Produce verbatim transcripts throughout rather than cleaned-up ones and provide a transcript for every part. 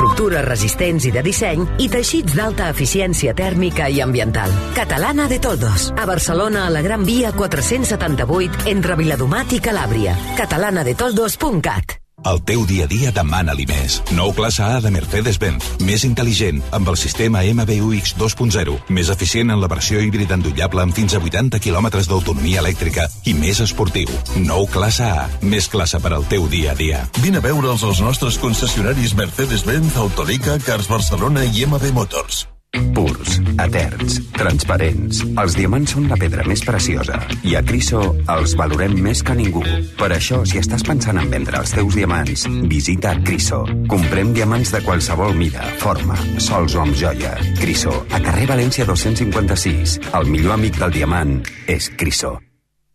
estructures resistents i de disseny i teixits d'alta eficiència tèrmica i ambiental. Catalana de Toldos. A Barcelona, a la Gran Via quatre-cents setanta-vuit, entre Viladomat i Calàbria. catalana de toldos punt cat. El teu dia a dia demana-li més. Nou classe A de Mercedes-Benz. Més intel·ligent, amb el sistema M B U X dos punt zero. Més eficient en la versió híbrida endollable amb fins a vuitanta quilòmetres d'autonomia elèctrica i més esportiu. Nou classe A. Més classe per al teu dia a dia. Vine a veure'ls als nostres concessionaris Mercedes-Benz, Autolica, Cars Barcelona i M B Motors. Purs, eterns, transparents. Els diamants són la pedra més preciosa i a Criso els valorem més que ningú. Per això, si estàs pensant en vendre els teus diamants, visita Criso. Comprem diamants de qualsevol mida, forma, sols o amb joia. Criso, a carrer València dos-cents cinquanta-sis. El millor amic del diamant és Criso.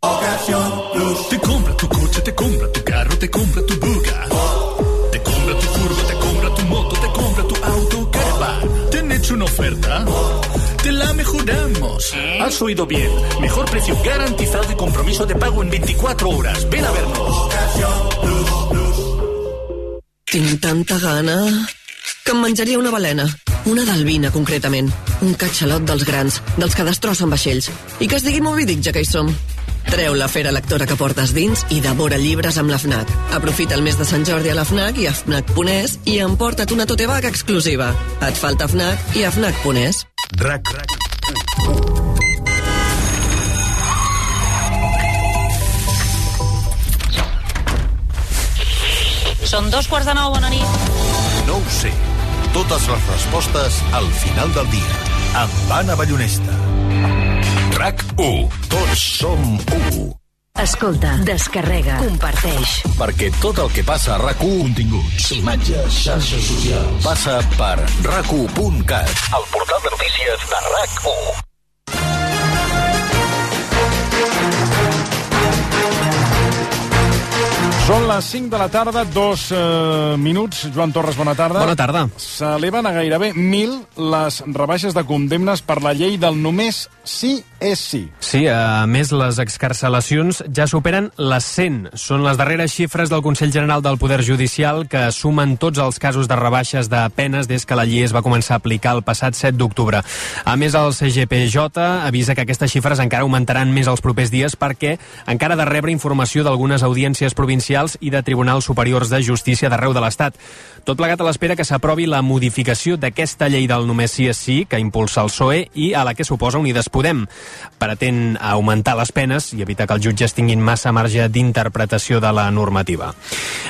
Ocasión Plus. Te compra tu coche, te compra tu carro, te compra tu buga. Te compra tu furgo, te compra tu moto, te compra tu auto, caravan. ¿Te han hecho una oferta? Te la mejoramos. Has oído bien. Mejor precio garantizado y compromiso de pago en veinticuatro horas. Ven a vernos. Tinc tanta gana que em menjaria una balena. Una d'albina, concretament. Un catxalot dels grans, dels que destrossen vaixells. I que es digui Moby Dick, ja que hi som. Treu la fera lectora que portes dins i devora llibres amb la FNAC. Aprofita el mes de Sant Jordi a la FNAC i a FNAC punt es i emporta't una tote bag exclusiva. Et falta FNAC i a FNAC punt es. RAC Són dos quarts de nou, bona nit. No ho sé. Totes les respostes al final del dia. Amb Anna Ballonesta. RAC u. Tots som u. Escolta, descarrega, comparteix. Perquè tot el que passa a RAC u, continguts, imatges, xarxes socials, passa per rac u punt cat, el portal de notícies de RAC u. Són les cinc de la tarda, dos eh, minuts. Joan Torres, bona tarda. Bona tarda. S'eleven a gairebé mil les rebaixes de condemnes per la llei del només sí és sí. Sí, a més, les excarcelacions ja superen les cent. Són les darreres xifres del Consell General del Poder Judicial que sumen tots els casos de rebaixes de penes des que la llei es va començar a aplicar el passat set d'octubre. A més, el C G P J avisa que aquestes xifres encara augmentaran més els propers dies perquè encara ha de rebre informació d'algunes audiències provincials i de tribunals superiors de justícia d'arreu de l'Estat. Tot plegat a l'espera que s'aprovi la modificació d'aquesta llei del només sí és sí que impulsa el P S O E i a la que suposa Unides Podem. Pretén augmentar les penes i evitar que els jutges tinguin massa marge d'interpretació de la normativa.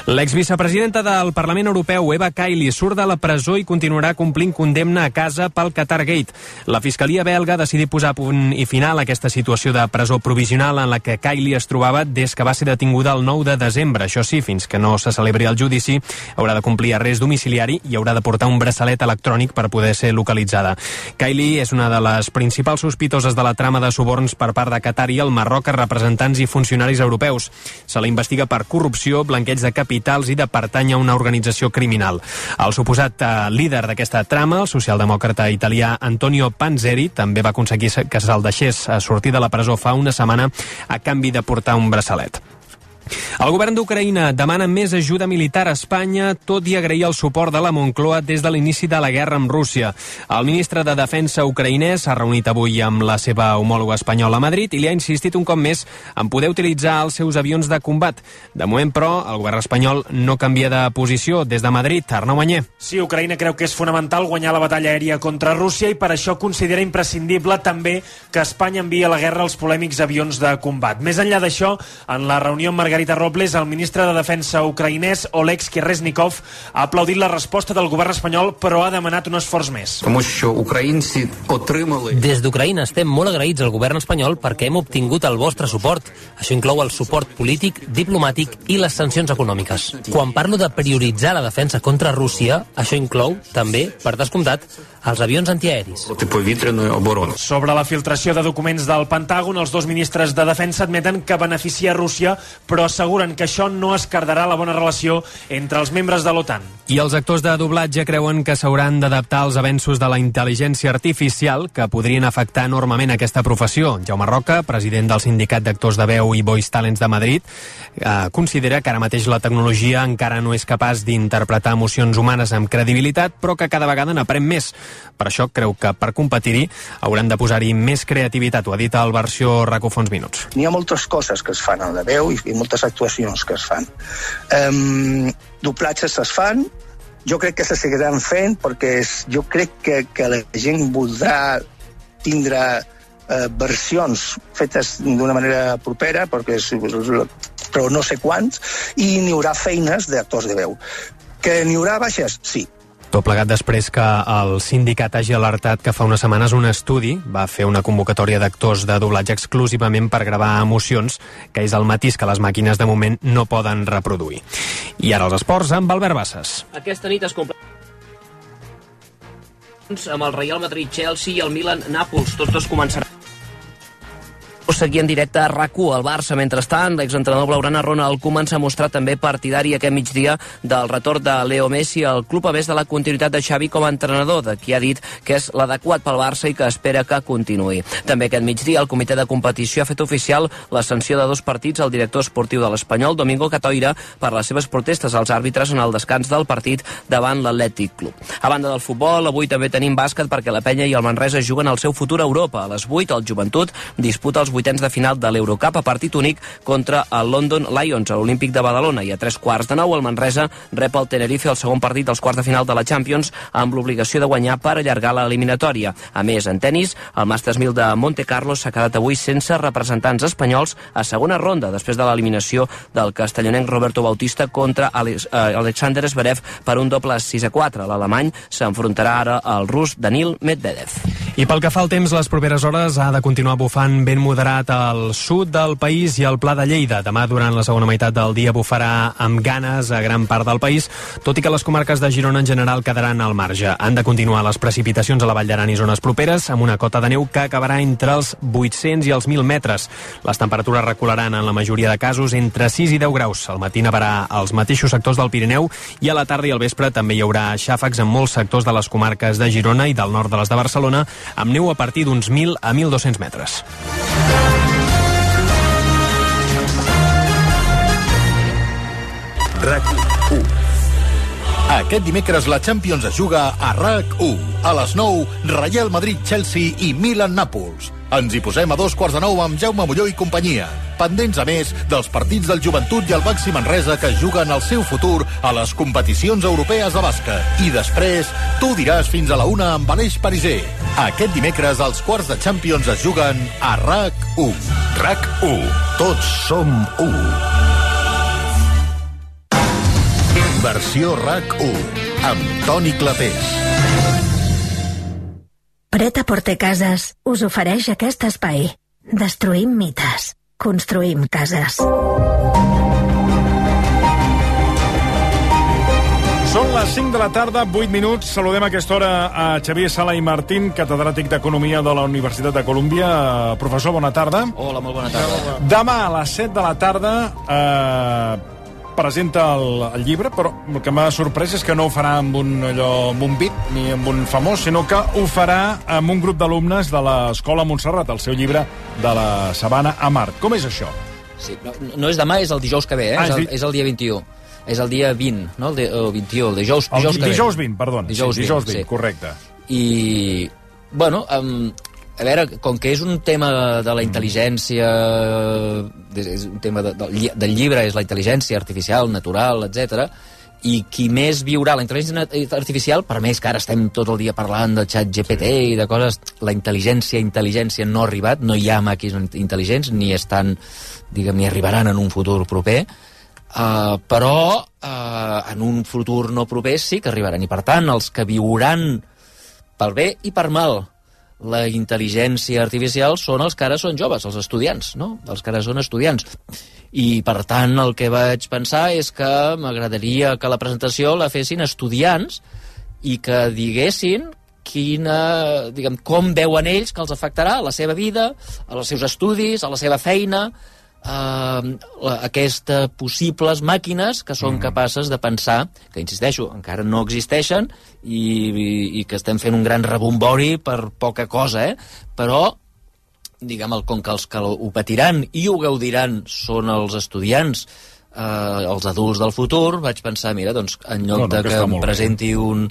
L'exvicepresidenta del Parlament Europeu, Eva Kaili, surt de la presó i continuarà complint condemna a casa pel Qatargate. La Fiscalia belga ha decidit posar punt i final a aquesta situació de presó provisional en la que Kaili es trobava des que va ser detinguda el nou de desembre. Això sí, fins que no se celebri el judici, haurà de complir arrest domiciliari i haurà de portar un braçalet electrònic per poder ser localitzada. Kaili és una de les principals sospitoses de la trama de suborns per part de Qatar i el Marroc a representants i funcionaris europeus. Se la investiga per corrupció, blanqueig de capitals i de pertànyer a una organització criminal. El suposat eh, líder d'aquesta trama, el socialdemòcrata italià Antonio Panzeri, també va aconseguir que se'l deixés a sortir de la presó fa una setmana a canvi de portar un braçalet. El govern d'Ucraïna demana més ajuda militar a Espanya, tot i agrair el suport de la Moncloa des de l'inici de la guerra amb Rússia. El ministre de Defensa ucraïnès s'ha reunit avui amb la seva homòloga espanyola a Madrid i li ha insistit un cop més en poder utilitzar els seus avions de combat. De moment, però, el govern espanyol no canvia de posició. Des de Madrid, Arnau Manyer. Sí, Ucraïna creu que és fonamental guanyar la batalla aèria contra Rússia i per això considera imprescindible també que Espanya enviï a la guerra els polèmics avions de combat. Més enllà d'això, en la reunió amb Margarita Robles, el ministre de Defensa ucraïnès, Oleksiy Reznikov, ha aplaudit la resposta del govern espanyol, però ha demanat un esforç més. Des d'Ucraïna estem molt agraïts al govern espanyol perquè hem obtingut el vostre suport. Això inclou el suport polític, diplomàtic i les sancions econòmiques. Quan parlo de prioritzar la defensa contra Rússia, això inclou, també, per descomptat, els avions antiaeris. Sobre la filtració de documents del Pentàgon, els dos ministres de Defensa admeten que beneficia Rússia, però però asseguren que això no esquerdarà la bona relació entre els membres de l'OTAN. I els actors de doblatge creuen que s'hauran d'adaptar als avenços de la intel·ligència artificial que podrien afectar enormement aquesta professió. Jaume Roca, president del Sindicat d'Actors de Veu i Voice Talents de Madrid, eh, considera que ara mateix la tecnologia encara no és capaç d'interpretar emocions humanes amb credibilitat, però que cada vegada n'aprèn més. Per això creu que per competir-hi hauran de posar-hi més creativitat. Ho ha dit el versió RAC u fa uns minuts. N'hi ha moltes coses que es fan en la veu i, i moltes actuacions que es fan. Um, doblatges es fan, jo crec que se seguiran fent perquè és, jo crec que, que la gent voldrà tindre eh, versions fetes d'una manera propera, perquè és, però no sé quants, i n'hi haurà feines d'actors de veu. Que n'hi haurà baixes? Sí. Tot plegat després que el sindicat hagi alertat que fa unes setmanes un estudi va fer una convocatòria d'actors de doblatge exclusivament per gravar emocions, que és el matís que les màquines de moment no poden reproduir. I ara els esports amb Albert Bassas. Aquesta nit es completa amb el Real Madrid-Chelsea i el Milan-Nàpols. Tots dos començaran seguir en directe a RAC u. Al Barça, mentrestant, l'exentrenador blaugrana Ronald Koeman s'ha mostrat també partidari aquest migdia del retorn de Leo Messi al club, a més de la continuïtat de Xavi com a entrenador, de qui ha dit que és l'adequat pel Barça i que espera que continuï. També aquest migdia el comitè de competició ha fet oficial la sanció de dos partits al director esportiu de l'Espanyol, Domingo Catoira, per les seves protestes als àrbitres en el descans del partit davant l'Atlètic Club. A banda del futbol, avui també tenim bàsquet perquè la Penya i el Manresa juguen el seu futur a Europa. A les vuit, el Joventut disputa els vuitens de final de l'Eurocup a partit únic contra el London Lions a l'Olímpic de Badalona, i a tres quarts de nou el Manresa rep el Tenerife al segon partit dels quarts de final de la Champions amb l'obligació de guanyar per allargar l'eliminatòria. A més, en tenis, el Masters mil de Monte Carlo s'ha quedat avui sense representants espanyols a segona ronda, després de l'eliminació del castellonenc Roberto Bautista contra Alex, eh, Alexander Zverev per un doble sis a quatre. L'alemany s'enfrontarà ara al rus Danil Medvedev. I pel que fa al temps, les properes hores ha de continuar bufant ben moderat al sud del país i al Pla de Lleida. Demà, durant la segona meitat del dia, bufarà amb ganes a gran part del país, tot i que les comarques de Girona en general quedaran al marge. Han de continuar les precipitacions a la Vall d'Aran i zones properes, amb una cota de neu que acabarà entre els vuit-cents i els mil metres. Les temperatures recularan en la majoria de casos entre sis i deu graus. Al matí nevarà als mateixos sectors del Pirineu i a la tarda i al vespre també hi haurà xàfecs en molts sectors de les comarques de Girona i del nord de les de Barcelona, amb neu a partir d'uns mil a mil dos-cents metres. RAC u. Aquest dimecres la Champions es juga a RAC u. A les nou, Real Madrid-Chelsea i Milan-Nàpols. Ens hi posem a dos quarts de nou amb Jaume Molló i companyia. Pendents, a més, dels partits del Joventut i el Baxi Manresa que juguen el seu futur a les competicions europees de bàsquet. I després, tu diràs fins a la una amb Aleix Pariser. Aquest dimecres els quarts de Champions es juguen a RAC u. RAC u. Tots som u. Versió RAC u, amb Toni Clapés. Pret-a-Porter Cases us ofereix aquest espai. Destruïm mites. Construïm cases. Són les cinc de la tarda, vuit minuts. Saludem a aquesta hora a Xavier Sala i Martín, catedràtic d'Economia de la Universitat de Colúmbia. Professor, bona tarda. Hola, molt bona tarda. Demà a les set de la tarda eh, presenta el, el llibre, però el que m'ha sorprès és que no ho farà amb un, allò, amb un beat ni amb un famós, sinó que ho farà amb un grup d'alumnes de l'Escola Montserrat, el seu llibre de la Sabana a Mart. Com és això? Sí, no, no és demà, és el dijous que ve, eh? Ah, és, el, és el dia vint-i-u. És el dia vint, no? El, de, el vint-i-u, el dijous, dijous el, que dijous ve. vint, perdó. Dijous, sí, dijous vint, vint, sí. Correcte. I, bueno, um, a veure, com que és un tema de la intel·ligència, és un tema de, de, del llibre, és la intel·ligència artificial, natural, etcètera, i qui més viurà la intel·ligència artificial, per més que ara estem tot el dia parlant del xat G P T i de coses, la intel·ligència, intel·ligència no ha arribat, no hi ha màquines intel·ligents, ni estan, diguem, ni arribaran en un futur proper, uh, però uh, en un futur no proper sí que arribaran, i per tant, els que viuran pel bé i per mal la intel·ligència artificial són els que ara són joves, els estudiants, no? Els que ara són estudiants. I, per tant, el que vaig pensar és que m'agradaria que la presentació la fessin estudiants i que diguessin quina, diguem, com veuen ells que els afectarà a la seva vida, als seus estudis, a la seva feina, eh, aquestes possibles màquines que són mm. capaces de pensar, que insisteixo, encara no existeixen i, i, i que estem fent un gran rebombori per poca cosa, eh? Però diguem, com que els que ho patiran i ho gaudiran són els estudiants, eh, els adults del futur, vaig pensar, mira, doncs, en lloc no, no, de que, que em presenti bé. un...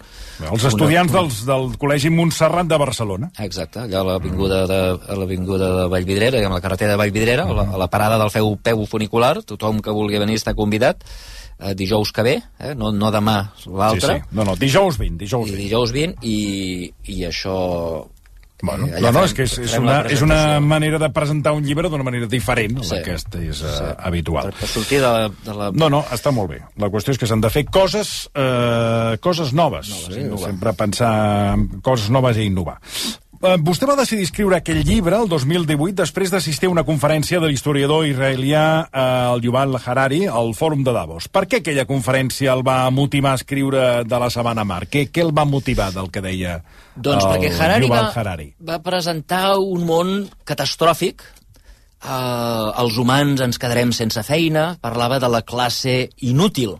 Els estudiants una, dels, del Col·legi Montserrat de Barcelona. Exacte, allà a l'avinguda de, a l'avinguda de Vallvidrera, a la carretera de Vallvidrera, uh -huh. a, la, a la parada del feu peu funicular, tothom que vulgui venir està convidat, eh, dijous que ve, eh, no, no demà l'altre. Sí, sí, no, no, dijous vint, dijous vint. I dijous vint, i, i això... Bueno, no, no, és que és, és, una, és una manera de presentar un llibre d'una manera diferent a sí, la que és uh, sí. habitual. Per, per sortir de la, de la... No, no, està molt bé. La qüestió és que s'han de fer coses, eh, coses noves. noves eh? Sempre pensar en coses noves i innovar. Eh, vostè va decidir escriure aquell llibre el dos mil divuit després d'assistir a una conferència de l'historiador israelià eh, el Yuval Harari al Fòrum de Davos. Per què aquella conferència el va motivar a escriure de la Sabana Mar? Què, què el va motivar del que deia doncs el perquè Harari Yuval va, Harari? Va presentar un món catastròfic. Eh, els humans ens quedarem sense feina. Parlava de la classe inútil.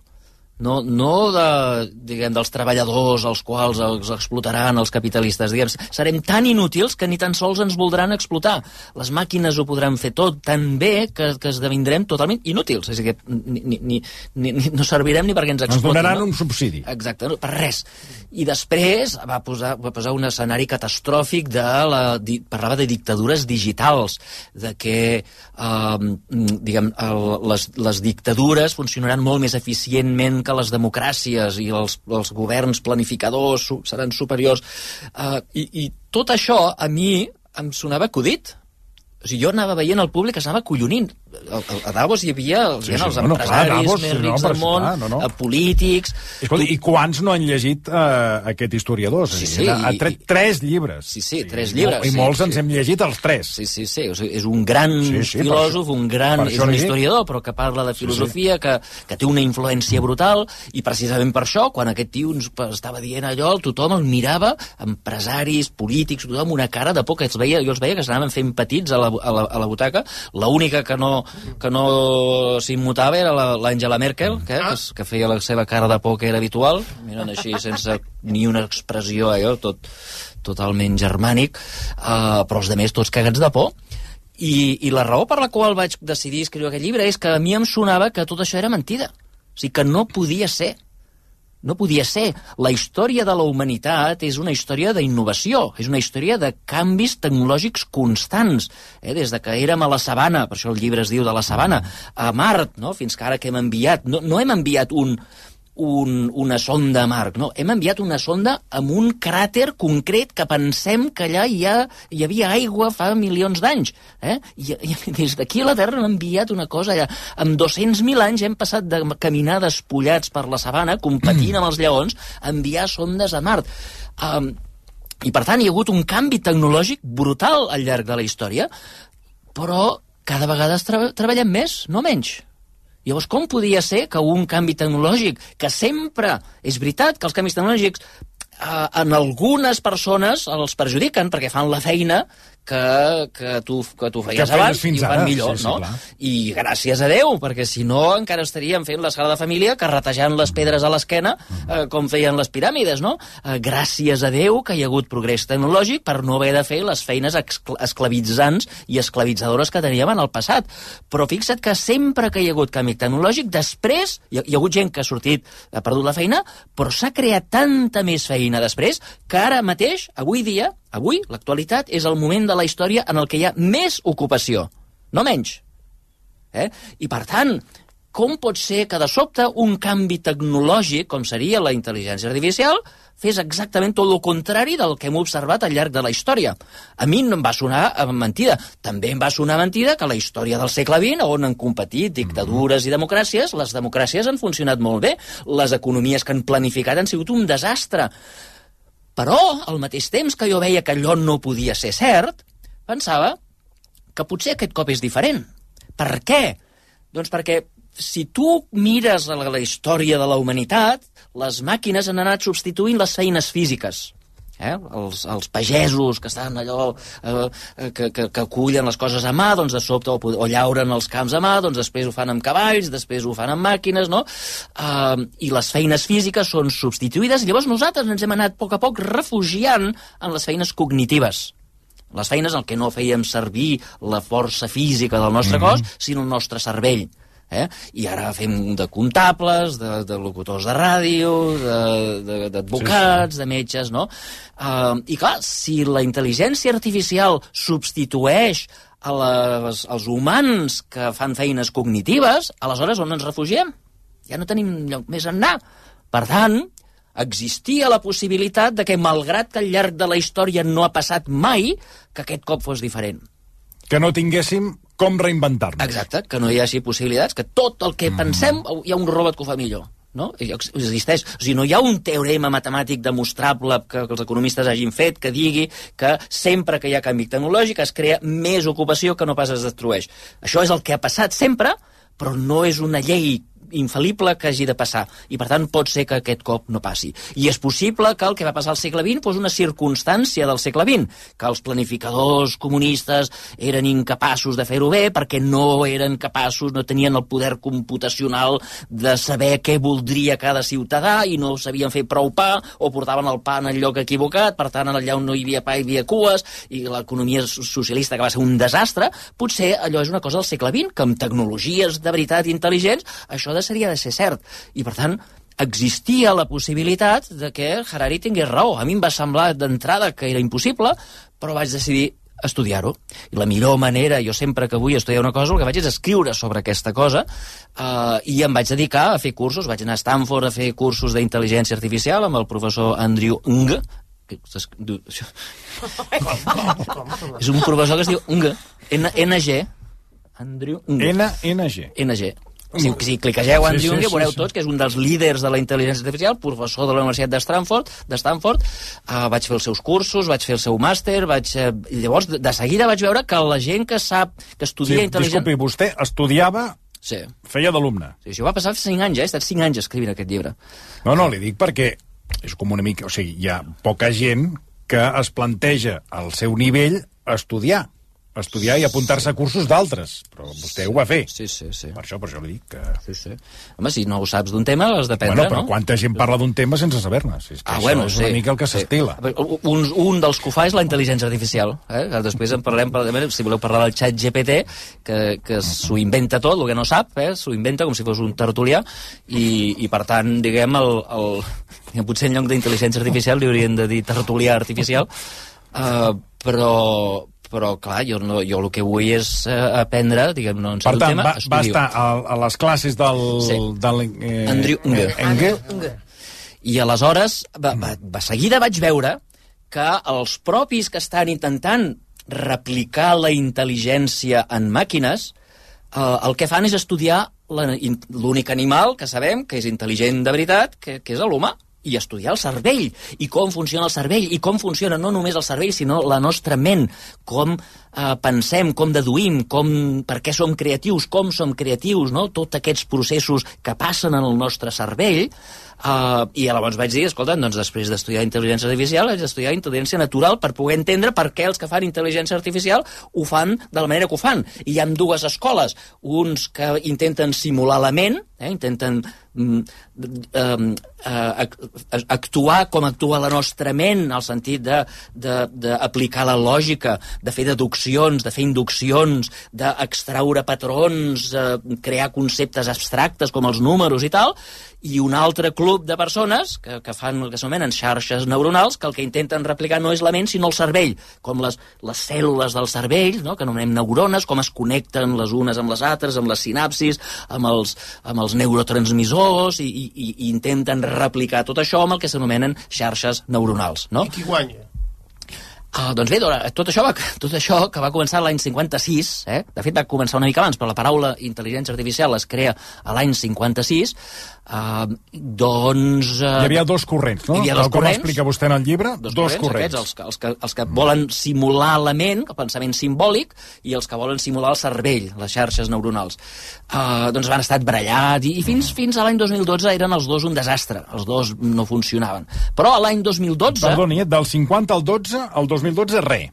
No, no de, diguem, dels treballadors als quals els explotaran els capitalistes. Diguem, serem tan inútils que ni tan sols ens voldran explotar. Les màquines ho podran fer tot tan bé que, que esdevindrem totalment inútils. És a dir, que ni, ni, ni, ni, no servirem ni perquè ens explotin. Ens donaran no? un subsidi. Exacte, no, per res. I després va posar, va posar un escenari catastròfic de la... Di, parlava de dictadures digitals, de que eh, diguem, el, les, les dictadures funcionaran molt més eficientment que les democràcies i els, els governs planificadors seran superiors. Uh, i, I tot això a mi em sonava acudit. O sigui, jo anava veient el públic que s'anava collonint. A Davos hi havia els, sí, sí, els no, empresaris no, clar, Davos, més rics no, del món, no, no. polítics... Escolta, tu... I quants no han llegit uh, aquest historiador? Sí, sí. Ha tret i... tres llibres. Sí, sí, tres sí, llibres. I sí, molts sí. ens hem llegit els tres. Sí, sí, sí. O sigui, és un gran sí, sí, filòsof, un gran... És un historiador, però que parla de filosofia, sí, sí. Que, que té una influència brutal, i precisament per això, quan aquest tio ens estava dient allò, tothom el mirava, empresaris, polítics, tothom, una cara de por, que els veia, jo els veia que s'anaven fent petits a la, a la, a la butaca. L'única que no, que no s'immutava era l'Angela Merkel, que, que feia la seva cara de por que era habitual, mirant així sense ni una expressió, allò, tot totalment germànic, uh, però els altres tots cagats de por. I, I la raó per la qual vaig decidir escriure aquest llibre és que a mi em sonava que tot això era mentida. O sigui, que no podia ser. No podia ser. La història de la humanitat és una història d'innovació, és una història de canvis tecnològics constants. Eh? Des de que érem a la sabana, per això el llibre es diu de la sabana, a Mart, no? Fins que ara que hem enviat... No, no hem enviat un... Un, una sonda a Mart, no, hem enviat una sonda amb un cràter concret que pensem que allà hi, ha, hi havia aigua fa milions d'anys, eh? I, i des d'aquí a la Terra hem enviat una cosa allà. Amb dos-cents mil anys hem passat de caminar despullats per la sabana, competint amb els lleons, a enviar sondes a Mart. Um, I per tant hi ha hagut un canvi tecnològic brutal al llarg de la història, però cada vegada tra treballem més, no menys. Llavors, com podia ser que un canvi tecnològic, que sempre és veritat que els canvis tecnològics eh, en algunes persones els perjudiquen perquè fan la feina que, que, tu, que tu feies que abans i ho fan millor, sí, sí, no? Clar. I gràcies a Déu, perquè si no encara estaríem fent l'escala de família carretejant les pedres a l'esquena eh, com feien les piràmides, no? Eh, gràcies a Déu que hi ha hagut progrés tecnològic per no haver de fer les feines esclavitzants i esclavitzadores que teníem en el passat. Però fixa't que sempre que hi ha hagut canvi tecnològic, després hi ha, hi ha hagut gent que ha sortit, ha perdut la feina, però s'ha creat tanta més feina després que ara mateix, avui dia, avui, l'actualitat, és el moment de la història en el que hi ha més ocupació, no menys. Eh? I, per tant, com pot ser que de sobte un canvi tecnològic, com seria la intel·ligència artificial, fes exactament tot el contrari del que hem observat al llarg de la història? A mi no em va sonar mentida. També em va sonar mentida que la història del segle vint, on han competit dictadures i democràcies, les democràcies han funcionat molt bé, les economies que han planificat han sigut un desastre. Però, al mateix temps que jo veia que allò no podia ser cert, pensava que potser aquest cop és diferent. Per què? Doncs perquè si tu mires la, la història de la humanitat, les màquines han anat substituint les feines físiques. Eh? Els, els pagesos que estan allò eh, que, que, que acullen les coses a mà, doncs de sobte o, o llauren els camps a mà, doncs després ho fan amb cavalls, després ho fan amb màquines, no? Eh, I les feines físiques són substituïdes, i llavors nosaltres ens hem anat a poc a poc refugiant en les feines cognitives. Les feines en què no fèiem servir la força física del nostre mm-hmm. cos, sinó el nostre cervell. Eh? I ara fem de comptables, de, de locutors de ràdio, d'advocats, sí, sí. de metges, no? Uh, I clar, si la intel·ligència artificial substitueix a les, als humans que fan feines cognitives, aleshores on ens refugiem? Ja no tenim lloc més a anar. Per tant, existia la possibilitat de que, malgrat que al llarg de la història no ha passat mai, que aquest cop fos diferent. Que no tinguéssim com reinventar-nos. Exacte, que no hi hagi possibilitats, que tot el que mm. pensem hi ha un robot que ho fa millor. No? Existeix. O sigui, no hi ha un teorema matemàtic demostrable que, que els economistes hagin fet que digui que sempre que hi ha canvi tecnològic es crea més ocupació que no pas es destrueix. Això és el que ha passat sempre, però no és una llei infal·lible que hagi de passar, i per tant pot ser que aquest cop no passi. I és possible que el que va passar al segle vint fos una circumstància del segle vint, que els planificadors comunistes eren incapaços de fer-ho bé perquè no eren capaços, no tenien el poder computacional de saber què voldria cada ciutadà i no sabien fer prou pa, o portaven el pa en el lloc equivocat, per tant allà on no hi havia pa hi havia cues, i l'economia socialista que va ser un desastre. Potser allò és una cosa del segle vint, que amb tecnologies de veritat intel·ligents això seria de ser cert, i per tant existia la possibilitat de que Harari tingués raó. A mi em va semblar d'entrada que era impossible, però vaig decidir estudiar-ho. I la millor manera, jo sempre que vull estudiar una cosa, el que vaig és escriure sobre aquesta cosa, eh, i em vaig dedicar a fer cursos. Vaig anar a Stanford a fer cursos d'intel·ligència artificial amb el professor Andrew Ng, que és un professor que es diu Ng, N G, Andrew Ng. N N G. N G. Si, si cliquegeu en sí, Jung, sí, veureu sí, sí. tots que és un dels líders de la intel·ligència artificial, professor de la Universitat de Stanford, de Stanford. Uh, vaig fer els seus cursos, vaig fer el seu màster, vaig, uh, llavors de seguida vaig veure que la gent que sap, que estudia sí, intel·ligència... Disculpi, vostè estudiava, sí. feia d'alumne. Sí, això va passar cinc anys, eh? He estat cinc anys escrivint aquest llibre. No, no, li dic perquè és com una mica... O sigui, hi ha poca gent que es planteja al seu nivell estudiar. estudiar i apuntar-se a cursos d'altres, però vostè ho va fer. Sí, sí, sí. Per això, per això li dic que... Sí, sí. Home, si no ho saps d'un tema, l'has d'aprendre, bueno, però no? quanta gent parla d'un tema sense saber-ne? Si és que ah, això bueno, és sí, una mica el que s'estila. Sí. Un, un dels que ho fa és la intel·ligència artificial. Eh? Després en parlem, si voleu parlar del xat G P T, que, que s'ho inventa tot, el que no sap, eh? S'ho inventa com si fos un tertulià, i, i per tant, diguem, el, el, potser en lloc d'intel·ligència artificial li haurien de dir tertulià artificial, uh, però... però, clar, jo, no, jo el que vull és eh, aprendre, diguem, no en sé un tema, estudio. Per tant, va estar a, a les classes del... Sí. del eh, Andrew Ng. Ng. I aleshores, va, va, va, seguida vaig veure que els propis que estan intentant replicar la intel·ligència en màquines, eh, el que fan és estudiar l'únic animal que sabem que és intel·ligent de veritat, que, que és l'humà, i estudiar el cervell, i com funciona el cervell, i com funciona no només el cervell, sinó la nostra ment, com eh, pensem, com deduïm, com, per què som creatius, com som creatius, no? Tots aquests processos que passen en el nostre cervell, eh, i llavors vaig dir, escolta, doncs després d'estudiar intel·ligència artificial, haig d'estudiar intel·ligència natural per poder entendre per què els que fan intel·ligència artificial ho fan de la manera que ho fan. I hi ha dues escoles, uns que intenten simular la ment, eh, intenten mm, eh, eh, actuar com actua la nostra ment, al sentit d'aplicar la lògica, de fer deduccions, de fer induccions, d'extraure patrons, eh, crear conceptes abstractes com els números i tal, i un altre club de persones que, que fan el que s'anomenen xarxes neuronals, que el que intenten replicar no és la ment sinó el cervell, com les, les cèl·lules del cervell, no? Que anomenem neurones, com es connecten les unes amb les altres, amb les sinapsis, amb els, amb els neurotransmissors, i, i, i intenten replicar tot això amb el que s'anomenen xarxes neuronals, no? I qui guanya? Uh, doncs bé, tot això, va, tot això que va començar l'any cinquanta-sis, eh? De fet va començar una mica abans, però la paraula intel·ligència artificial es crea a l'any cinquanta-sis, uh, doncs... Uh, Hi havia dos corrents, no? Hi havia dos Com corrents. explica vostè en el llibre, dos, dos corrents. Aquests, els, que, els, que, els que volen simular la ment, el pensament simbòlic, i els que volen simular el cervell, les xarxes neuronals. Uh, doncs van estar barallats, i, i fins, fins a l'any dos mil dotze eren els dos un desastre, els dos no funcionaven. Però a l'any dos mil dotze... Perdoni, del cinquanta al dotze, al dos mil dotze, res.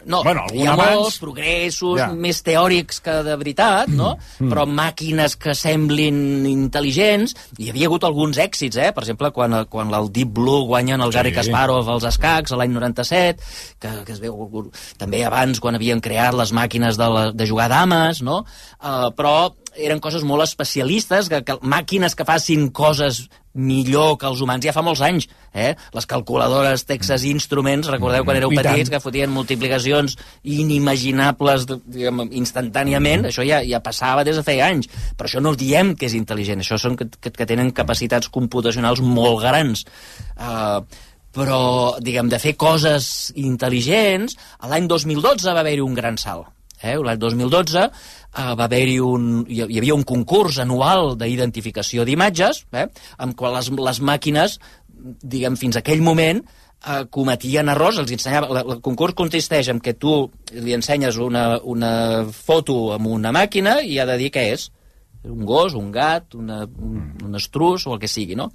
No, bueno, hi ha abans... molts progressos ja. més teòrics que de veritat, no? Mm. Però màquines que semblin intel·ligents, hi havia hagut alguns èxits, eh? Per exemple, quan, quan el Deep Blue guanyen el sí. Garry Kasparov als escacs, a l'any noranta-set, que, que es veu també abans quan havien creat les màquines de, la, de jugar dames, no? Uh, però eren coses molt especialistes, que, que màquines que facin coses millor que els humans ja fa molts anys, eh? Les calculadores Texas Instruments, recordeu quan éreu petits, que fotien multiplicacions inimaginables, diguem, instantàniament, això ja, ja passava des de feia anys, però això no diem que és intel·ligent, això són que, que, que tenen capacitats computacionals molt grans. Uh, però, diguem, de fer coses intel·ligents, l'any dos mil dotze va haver-hi un gran salt. Eh? L'any dos mil dotze uh, va haver-hi un... hi havia un concurs anual d'identificació d'imatges, eh? Amb quan les, les màquines, diguem, fins a aquell moment, uh, cometien errors, els ensenyava... El concurs consisteix en que tu li ensenyes una, una foto amb una màquina i ha de dir què és. Un gos, un gat, una, un, un estrus o el que sigui, no?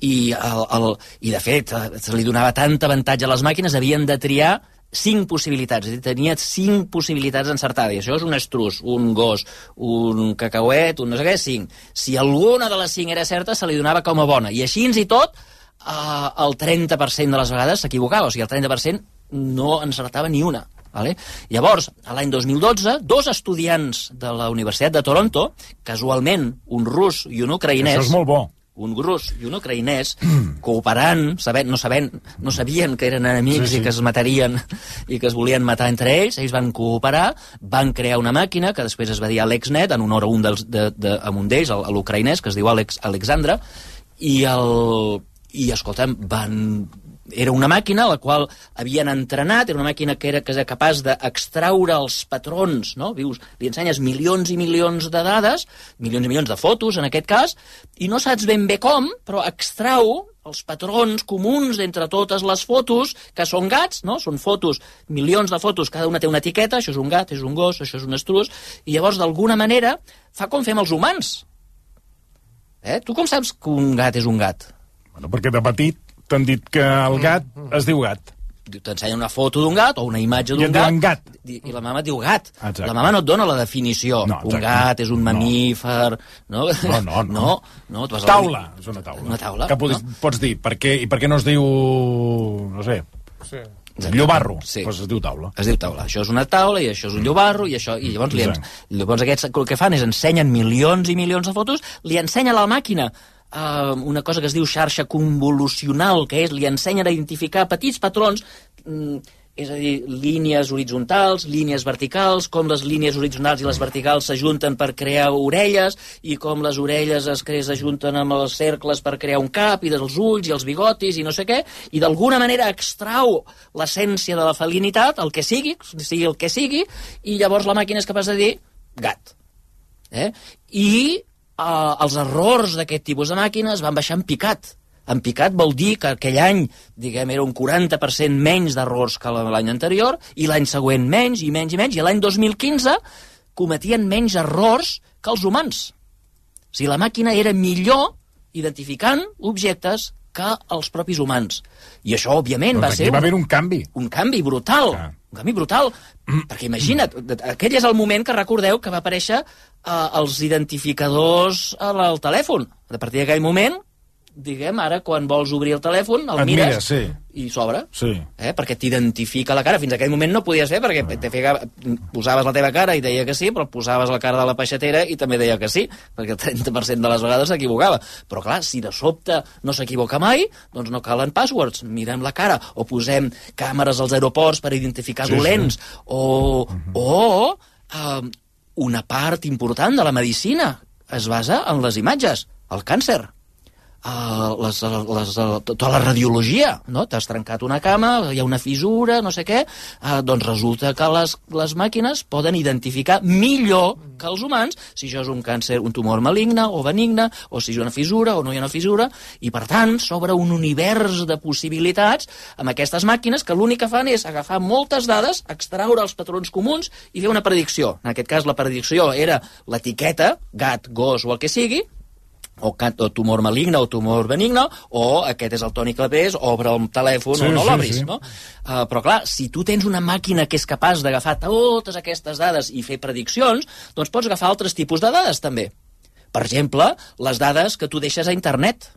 I, el, el, i de fet, se li donava tant avantatge a les màquines, havien de triar cinc possibilitats, és a dir, tenia cinc possibilitats encertades, i això és un estrus, un gos, un cacauet, un no sé què, cinc. Si alguna de les cinc era certa, se li donava com a bona, i així i tot, eh, el trenta per cent de les vegades s'equivocava, o sigui, el trenta per cent no encertava ni una. Vale? Llavors, a l'any dos mil dotze, dos estudiants de la Universitat de Toronto, casualment un rus i un ucraïnès... Això és molt bo. Un rus i un ucraïnès, cooperant, sabent, no, sabent, no sabien que eren enemics sí, sí. i que es matarien i que es volien matar entre ells, ells van cooperar, van crear una màquina que després es va dir AlexNet, en honor a un dels, de, de, a un d'ells, l'ucraïnès, que es diu Alex, Alexandra, i, el, i escolta'm, van... Era una màquina a la qual havien entrenat, era una màquina que era, que era capaç d'extraure els patrons, no? Vius, li ensenyes milions i milions de dades, milions i milions de fotos, en aquest cas, i no saps ben bé com, però extrau els patrons comuns entre totes les fotos, que són gats, no? Són fotos, milions de fotos, cada una té una etiqueta, això és un gat, això és un gos, això és un estrus, i llavors, d'alguna manera, fa com fem els humans. Eh? Tu com saps que un gat és un gat? Bueno, perquè de petit t'han dit que el gat es diu gat. T'ensenya una foto d'un gat o una imatge d'un gat, gat i, i la mama et diu gat. Exacte. La mama no et dona la definició. No, un gat és un mamífer... No, no, no. no, no, no tu vas taula, dir... és una taula. Una taula. Que pots, no? pots dir, per què, i per què no es diu... no sé... Sí. Llobarro, sí. Pues es diu taula. Es diu taula. Això és una taula i això és un llobarro i això... I llavors, li ens... llavors aquests el que fan és ensenyen milions i milions de fotos, li ensenya a la màquina Uh, una cosa que es diu xarxa convolucional, que és, li ensenyen a identificar petits patrons, mm, és a dir, línies horitzontals, línies verticals, com les línies horitzontals i les verticals s'ajunten per crear orelles, i com les orelles es s'ajunten amb els cercles per crear un cap, i dels ulls i els bigotis i no sé què, i d'alguna manera extrau l'essència de la felinitat, el que sigui, sigui el que sigui, i llavors la màquina és capaç de dir gat. Eh? I Uh, els errors d'aquest tipus de màquines van baixar en picat. En picat vol dir que aquell any, diguem, era un quaranta per cent menys d'errors que l'any anterior, i l'any següent menys, i menys, i menys, i l'any dos mil quinze cometien menys errors que els humans. O sigui, la màquina era millor identificant objectes que els propis humans. I això, òbviament, va ser... va haver un canvi. Un canvi brutal. Ah. Un canvi brutal. Mm. Perquè imagina't, aquell és el moment que recordeu que va aparèixer uh, els identificadors al telèfon. A partir d'aquell moment, diguem, ara, quan vols obrir el telèfon, el Et mires mira, sí. i s'obre. Sí. Eh? Perquè t'identifica la cara. Fins a aquell moment no podies fer, perquè te fegava, posaves la teva cara i deia que sí, però posaves la cara de la peixatera i també deia que sí, perquè el trenta per cent de les vegades s'equivocava. Però clar, si de sobte no s'equivoca mai, doncs no calen passwords. Mirem la cara, o posem càmeres als aeroports per identificar sí, dolents, sí. o... Uh-huh. o uh, una part important de la medicina es basa en les imatges. El càncer. Uh, les, les, uh, tota la radiologia, no? T'has trencat una cama, hi ha una fissura, no sé què, uh, doncs resulta que les, les màquines poden identificar millor que els humans si això és un càncer, un tumor maligne o benigne, o si és una fissura o no hi ha una fissura, i per tant s'obre un univers de possibilitats amb aquestes màquines que l'únic que fan és agafar moltes dades, extraure els patrons comuns i fer una predicció. En aquest cas la predicció era l'etiqueta, gat, gos o el que sigui, o, o tumor maligne o tumor benigne, o aquest és el Toni Clapés, obre el telèfon sí, o no sí, l'obris, sí. no? Uh, però clar, si tu tens una màquina que és capaç d'agafar totes aquestes dades i fer prediccions, doncs pots agafar altres tipus de dades també. Per exemple, les dades que tu deixes a internet.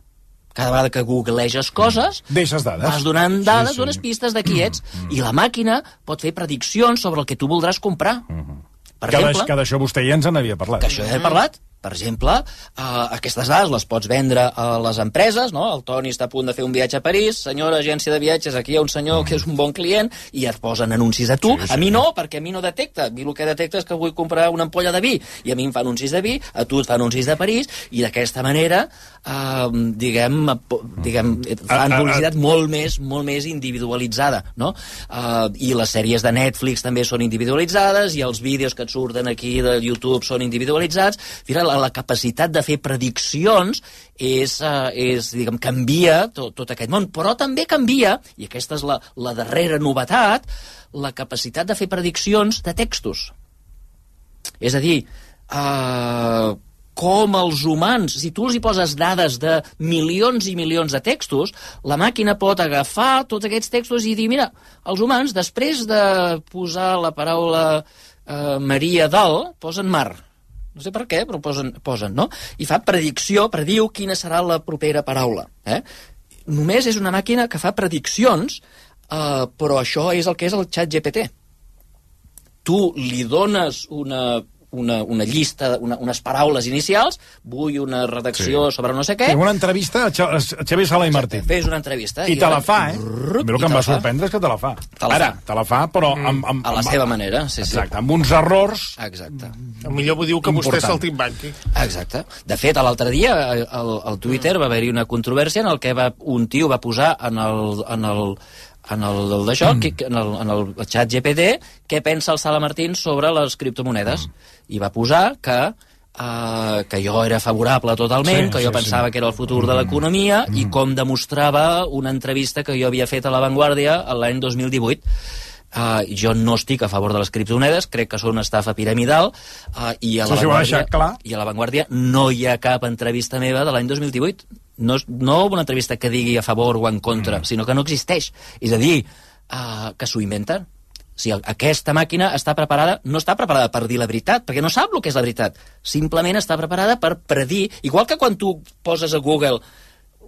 Cada vegada que googleges coses, deixes dades. Vas donant dades, sí, sí. dones pistes de qui ets, mm, mm. i la màquina pot fer prediccions sobre el que tu voldràs comprar. Mm -hmm. Per que exemple, que d'això vostè ja ens en havia parlat. Que això ja he parlat. Per exemple, uh, aquestes dades les pots vendre a les empreses, no? El Toni està a punt de fer un viatge a París, senyora agència de viatges, aquí hi ha un senyor que és un bon client, i et posen anuncis a tu. Sí, sí. A mi no, perquè a mi no detecta. A mi el que detecta és que vull comprar una ampolla de vi, i a mi em fa anuncis de vi, a tu et fa anuncis de París, i d'aquesta manera, uh, diguem, diguem, fan publicitat molt més, molt més individualitzada, no? Uh, I les sèries de Netflix també són individualitzades, i els vídeos que et surten aquí de YouTube són individualitzats. Fira, la capacitat de fer prediccions és, uh, és diguem, canvia tot, tot aquest món, però també canvia, i aquesta és la, la darrera novetat, la capacitat de fer prediccions de textos. És a dir, uh, com els humans, si tu els hi poses dades de milions i milions de textos, la màquina pot agafar tots aquests textos i dir, mira, els humans, després de posar la paraula uh, Maria dalt, posen mar. No sé per què, però posen, posen, no? I fa predicció, prediu quina serà la propera paraula. Eh? Només és una màquina que fa prediccions, eh, però això és el que és el xat G P T. Tu li dones una... Una, una llista, una, unes paraules inicials, vull una redacció sí. sobre no sé què... Fes una entrevista a Xavier Sala i Martín. Fes una entrevista. I te la fa, eh? A mi el que em va sorprendre és que te la fa. Te la Ara, fa. te la fa, però... Mm. Amb, amb, a la amb, seva manera, sí, sí. Exacte, amb uns errors... Exacte. Mm. Millor ho diu que vostè és el timbanqui. Exacte. De fet, l'altre dia, al, al Twitter va haver-hi una controvèrsia en el que va, un tio va posar en el... En el en el d'això, mm. en, el, en el xat G P T, què pensa el Sala Martín sobre les criptomonedes. Mm. I va posar que, uh, que jo era favorable totalment, sí, que jo sí, pensava sí. que era el futur de l'economia, mm. i com demostrava una entrevista que jo havia fet a La Vanguardia l'any dos mil divuit. Uh, jo no estic a favor de les criptomonedes, crec que són una estafa piramidal, uh, i, a la sí, Vanguardia, clar. i a La Vanguardia no hi ha cap entrevista meva de l'any dos mil divuit. No, no una entrevista que digui a favor o en contra, mm. sinó que no existeix. És a dir, uh, que s'ho inventen. O sigui, aquesta màquina està preparada, no està preparada per dir la veritat, perquè no sap el que és la veritat. Simplement està preparada per predir, igual que quan tu poses a Google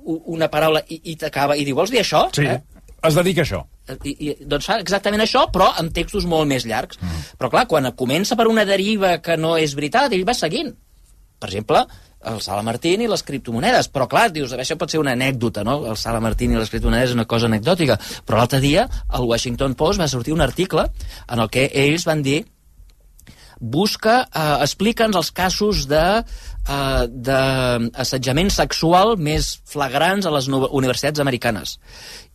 una paraula i, i t'acaba i diu, vols dir això? Sí, eh? Es dedica a això. I, i, doncs fa exactament això, però amb textos molt més llargs. Mm. Però clar, quan comença per una deriva que no és veritat, ell va seguint. Per exemple, el Sala Martín i les criptomonedes. Però clar, dius, això pot ser una anècdota, no? El Sala Martín i les criptomonedes és una cosa anecdòtica. Però l'altre dia, al Washington Post va sortir un article en el que ells van dir busca, eh, explica'ns els casos de eh, d'assetjament sexual més flagrants a les universitats americanes.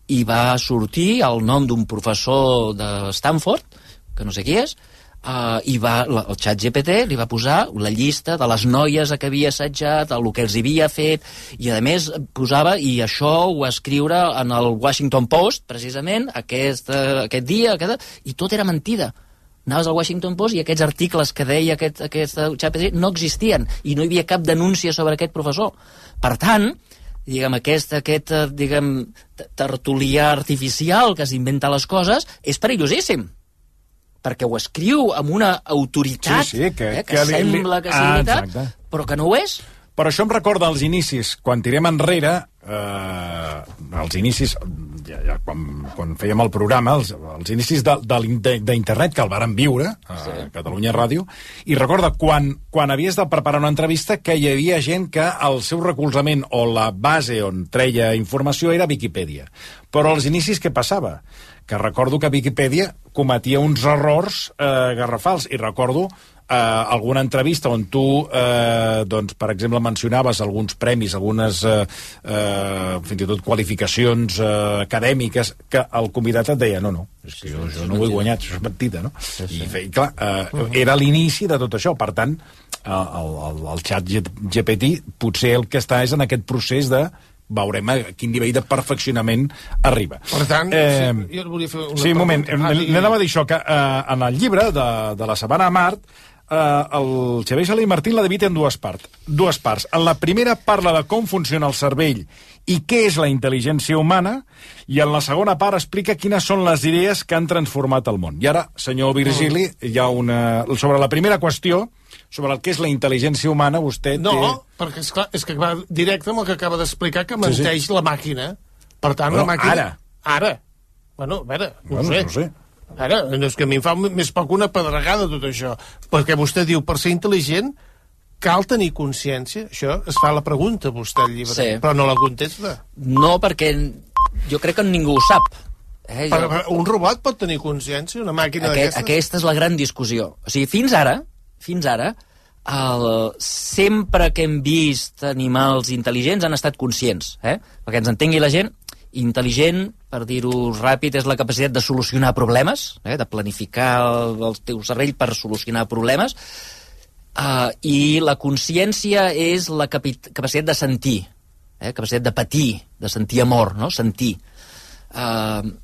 I va sortir el nom d'un professor de Stanford, que no sé qui és, Uh, i va, el xat G P T li va posar la llista de les noies a què havia assetjat, el que els havia fet, i a més posava, i això ho va escriure en el Washington Post precisament aquest, uh, aquest dia, aquest, i tot era mentida. Anaves al Washington Post i aquests articles que deia aquest, aquest xat G P T no existien, i no hi havia cap denúncia sobre aquest professor. Per tant, diguem, aquest, aquest diguem, tertulià artificial que s'inventa les coses és perillosíssim, perquè ho escriu amb una autoritat sí, sí, que, eh, que, que sembla li... que sigui ah, veritat, exacte. Però que no ho és. Però això em recorda els inicis, quan tirem enrere, eh, els inicis, ja, ja, quan, quan fèiem el programa, els, els inicis d'internet que el varen viure a sí. Catalunya Ràdio, i recorda, quan, quan havies de preparar una entrevista, que hi havia gent que el seu recolzament o la base on treia informació era Viquipèdia. Però als inicis què passava? Que recordo que Viquipèdia cometia uns errors eh, garrafals, i recordo eh, alguna entrevista on tu, eh, doncs, per exemple, mencionaves alguns premis, algunes eh, eh, fins i tot qualificacions eh, acadèmiques, que el convidat et deia no, no, és que jo, jo no ho he guanyat, això és mentida, no? Sí, sí. I, i clar, eh, era l'inici de tot això, per tant, el, el, el xat G P T potser el que està és en aquest procés de veurem a quin nivell de perfeccionament arriba. Per tant, eh, sí, jo volia fer una sí, un moment, pregunta. Ah, n'anava a dir això, que eh, en el llibre de, de la Sabana a Mart, eh, el Xavier Sala i Martín la divide en dues parts. Dues parts. En la primera parla de com funciona el cervell i què és la intel·ligència humana, i en la segona part explica quines són les idees que han transformat el món. I ara, senyor Virgili, hi ha una... sobre la primera qüestió, sobre el que és la intel·ligència humana, vostè no, té... No, perquè és, clar, és que va directe amb el que acaba d'explicar, que menteix sí, sí. la màquina. Per tant, bueno, la màquina... Ara. Ara. Bueno, a veure, no bueno, ho sé. No sé. Ara, és que a mi em fa més poc una pedregada tot això. Perquè vostè diu, per ser intel·ligent, cal tenir consciència? Això es fa la pregunta, vostè, al llibre, sí. però no la contesta. No, perquè jo crec que ningú ho sap. Eh, jo... Però un robot pot tenir consciència, una màquina Aquest, d'aquestes? Aquesta és la gran discussió. O sigui, fins ara, fins ara, el, sempre que hem vist animals intel·ligents han estat conscients, eh? Perquè ens entengui la gent, intel·ligent, per dir-ho ràpid, és la capacitat de solucionar problemes, eh? De planificar el, el teu cervell per solucionar problemes, uh, i la consciència és la capi capacitat de sentir, eh? Capacitat de patir, de sentir amor, no? Sentir. Uh,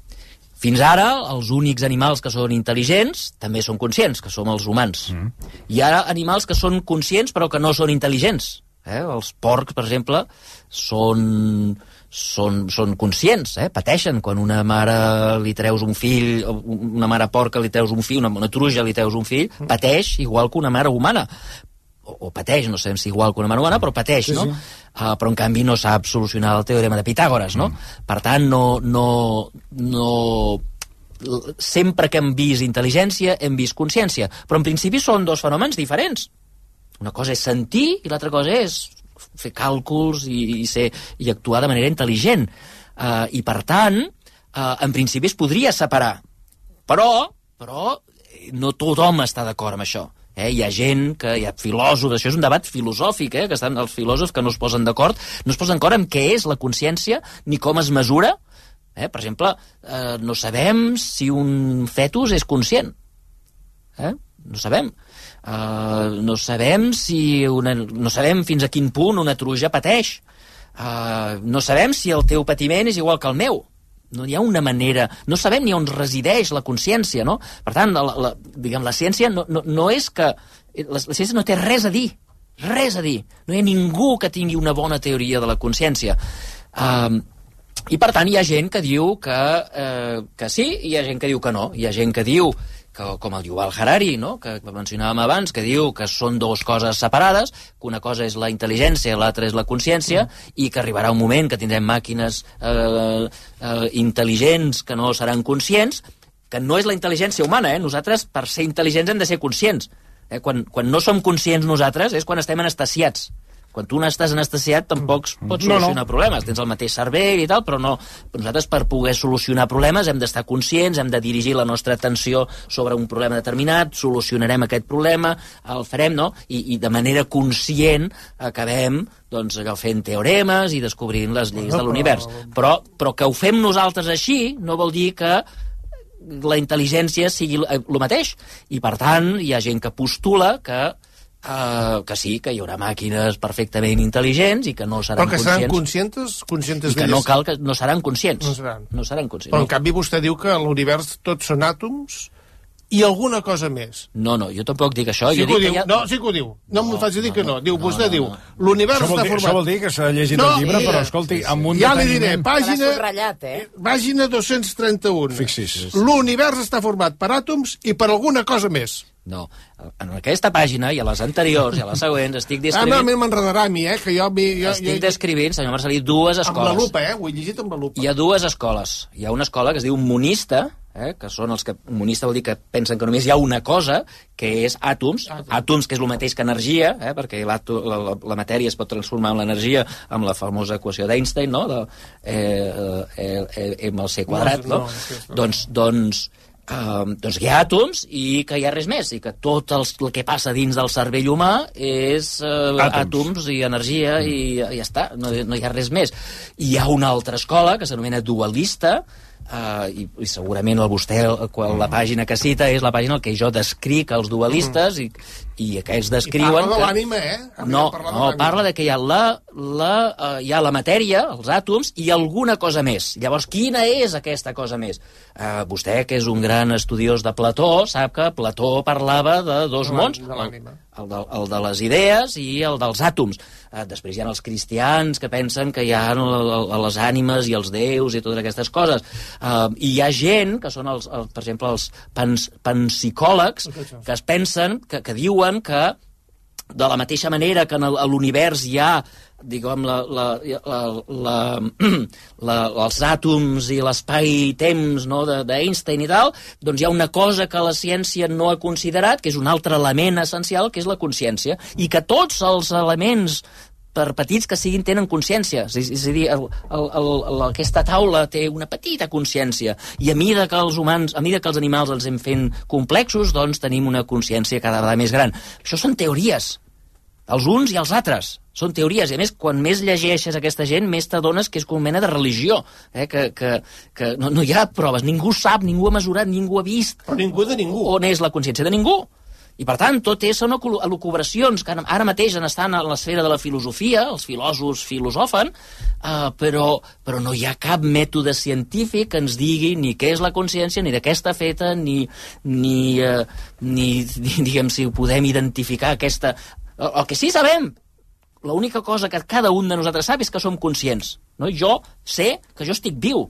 Fins ara, els únics animals que són intel·ligents també són conscients, que som els humans. Mm. Hi ha animals que són conscients però que no són intel·ligents. Eh? Els porcs, per exemple, són, són, són conscients, eh? Pateixen quan una mare li treus un fill, una mare porca li treus un fill, una, una truja li treus un fill, pateix igual que una mare humana. O, o pateix, no sabem si igual que una mare humana, però pateix, sí, no? Sí. Uh, però en canvi no sap solucionar el teorema de Pitàgores, no? Mm. Per tant, no, no, no... sempre que hem vist intel·ligència hem vist consciència, però en principi són dos fenòmens diferents. Una cosa és sentir i l'altra cosa és fer càlculs i, i, ser, i actuar de manera intel·ligent. Uh, I per tant, uh, en principi es podria separar, però, però no tothom està d'acord amb això. Eh, hi ha gent, que hi ha filòsofs, això és un debat filosòfic, eh, que estan els filòsofs que no es posen d'acord, no es posen d'acord amb què és la consciència ni com es mesura. Eh, per exemple, eh, no sabem si un fetus és conscient. Eh? No sabem. Eh, no sabem si una, no sabem fins a quin punt una truja pateix. Eh, no sabem si el teu patiment és igual que el meu. No hi ha una manera... No sabem ni on resideix la consciència, no? Per tant, la, la, diguem, la ciència no, no, no és que... La, la ciència no té res a dir. Res a dir. No hi ha ningú que tingui una bona teoria de la consciència. Um, I, per tant, hi ha gent que diu que, eh, que sí, i hi ha gent que diu que no. Hi ha gent que diu, que, com el Yuval Harari, no? Que mencionàvem abans, que diu que són dues coses separades, que una cosa és la intel·ligència, l'altra és la consciència, mm. i que arribarà un moment que tindrem màquines eh, eh, intel·ligents que no seran conscients, que no és la intel·ligència humana, eh? Nosaltres, per ser intel·ligents, hem de ser conscients. Eh? Quan, quan no som conscients nosaltres és quan estem anestesiats. Quan tu no estàs anestesiat tampoc pots solucionar no, no. problemes. Tens el mateix cervell i tal, però no. Però nosaltres, per poder solucionar problemes, hem d'estar conscients, hem de dirigir la nostra atenció sobre un problema determinat, solucionarem aquest problema, el farem, no? I, i de manera conscient acabem doncs, allò, fent teoremes i descobrint les lleis de l'univers. Però, però que ho fem nosaltres així no vol dir que la intel·ligència sigui el mateix. I, per tant, hi ha gent que postula que Uh, que sí, que hi haurà màquines perfectament intel·ligents i que no seran conscients. Però que seran conscientes? conscientes I que no cal que no seran conscients. No seran. No seran conscients. Però en no. canvi vostè diu que l'univers tots són àtoms i alguna cosa més. No, no, jo tampoc dic això. Sí jo que ho dic diu. Que ja... No, sí que ho diu. No, no m'ho faig dir no, que no. Diu, no, vostè no, diu, no. l'univers està dir, format... Això vol dir que s'ha llegit no, el llibre, mira, però escolti, amb un ja deteniment... li diré, pàgina... subratllat, eh? Pàgina dos-cents trenta-u. Fixi's. L'univers està format per àtoms i per alguna cosa més. No, en aquesta pàgina i a les anteriors i a les següents estic descrivint... Ah, no, m'enredarà a mi, eh? Que jo, jo, estic descrivint, senyor Marcelí, dues escoles. Amb la lupa, eh? Ho he llegit amb la lupa. Hi ha dues escoles. Hi ha una escola que es diu monista, eh? Que són els que... Monista vol dir que pensen que només hi ha una cosa, que és àtoms. Àtoms, àtoms que és el mateix que energia, eh? Perquè la, la, la matèria es pot transformar en l'energia amb la famosa equació d'Einstein, no? De, eh, eh, eh, M al C quadrat, no? no, no, no. Doncs... doncs Uh, doncs que hi ha àtoms i que hi ha res més, i que tot el, el que passa dins del cervell humà és uh, àtoms. àtoms i energia mm. i, i ja està, no, no hi ha res més. I hi ha una altra escola que s'anomena dualista, Uh, i, i segurament el vostè quan la pàgina que cita és la pàgina en què jo descric els dualistes i, i aquests descriuen... I parla de que... l'ànima, eh? No, no, parla de que hi ha la, la, uh, hi ha la matèria, els àtoms, i alguna cosa més. Llavors, quina és aquesta cosa més? Uh, vostè, que és un gran estudiós de Plató, sap que Plató parlava de dos de mons, de l'ànima. El de, el de les idees i el dels àtoms. Uh, després hi ha els cristians que pensen que hi ha les ànimes i els déus i totes aquestes coses. Uh, I hi ha gent, que són, els, els, per exemple, els pans, panpsicòlegs, que es pensen, que, que diuen que de la mateixa manera que en l'univers hi ha diguem, la, la, la, la, la, els àtoms i l'espai-temps, no, d'Einstein i tal, doncs hi ha una cosa que la ciència no ha considerat, que és un altre element essencial, que és la consciència, i que tots els elements, per petits que siguin, tenen consciència. És, és a dir, el, el, el, aquesta taula té una petita consciència, i a mida que els humans, a mida que els animals els hem fent complexos, doncs tenim una consciència cada vegada més gran. Això són teories. Els uns i els altres. Són teories, i a més, quan més llegeixes aquesta gent, més t'adones que és com una mena de religió, eh? que, que, que no, no hi ha proves, ningú sap, ningú ha mesurat, ningú ha vist... Però ningú de ningú. On és la consciència de ningú. I, per tant, tot és són elucubracions que ara mateix estan a l'esfera de la filosofia, els filòsofs filosofen, uh, però, però no hi ha cap mètode científic que ens digui ni què és la consciència, ni de què està feta, ni, ni, uh, ni, ni diguem, si ho podem identificar, aquesta... El, el que sí sabem, l'única cosa que cada un de nosaltres sap és que som conscients. No? Jo sé que jo estic viu.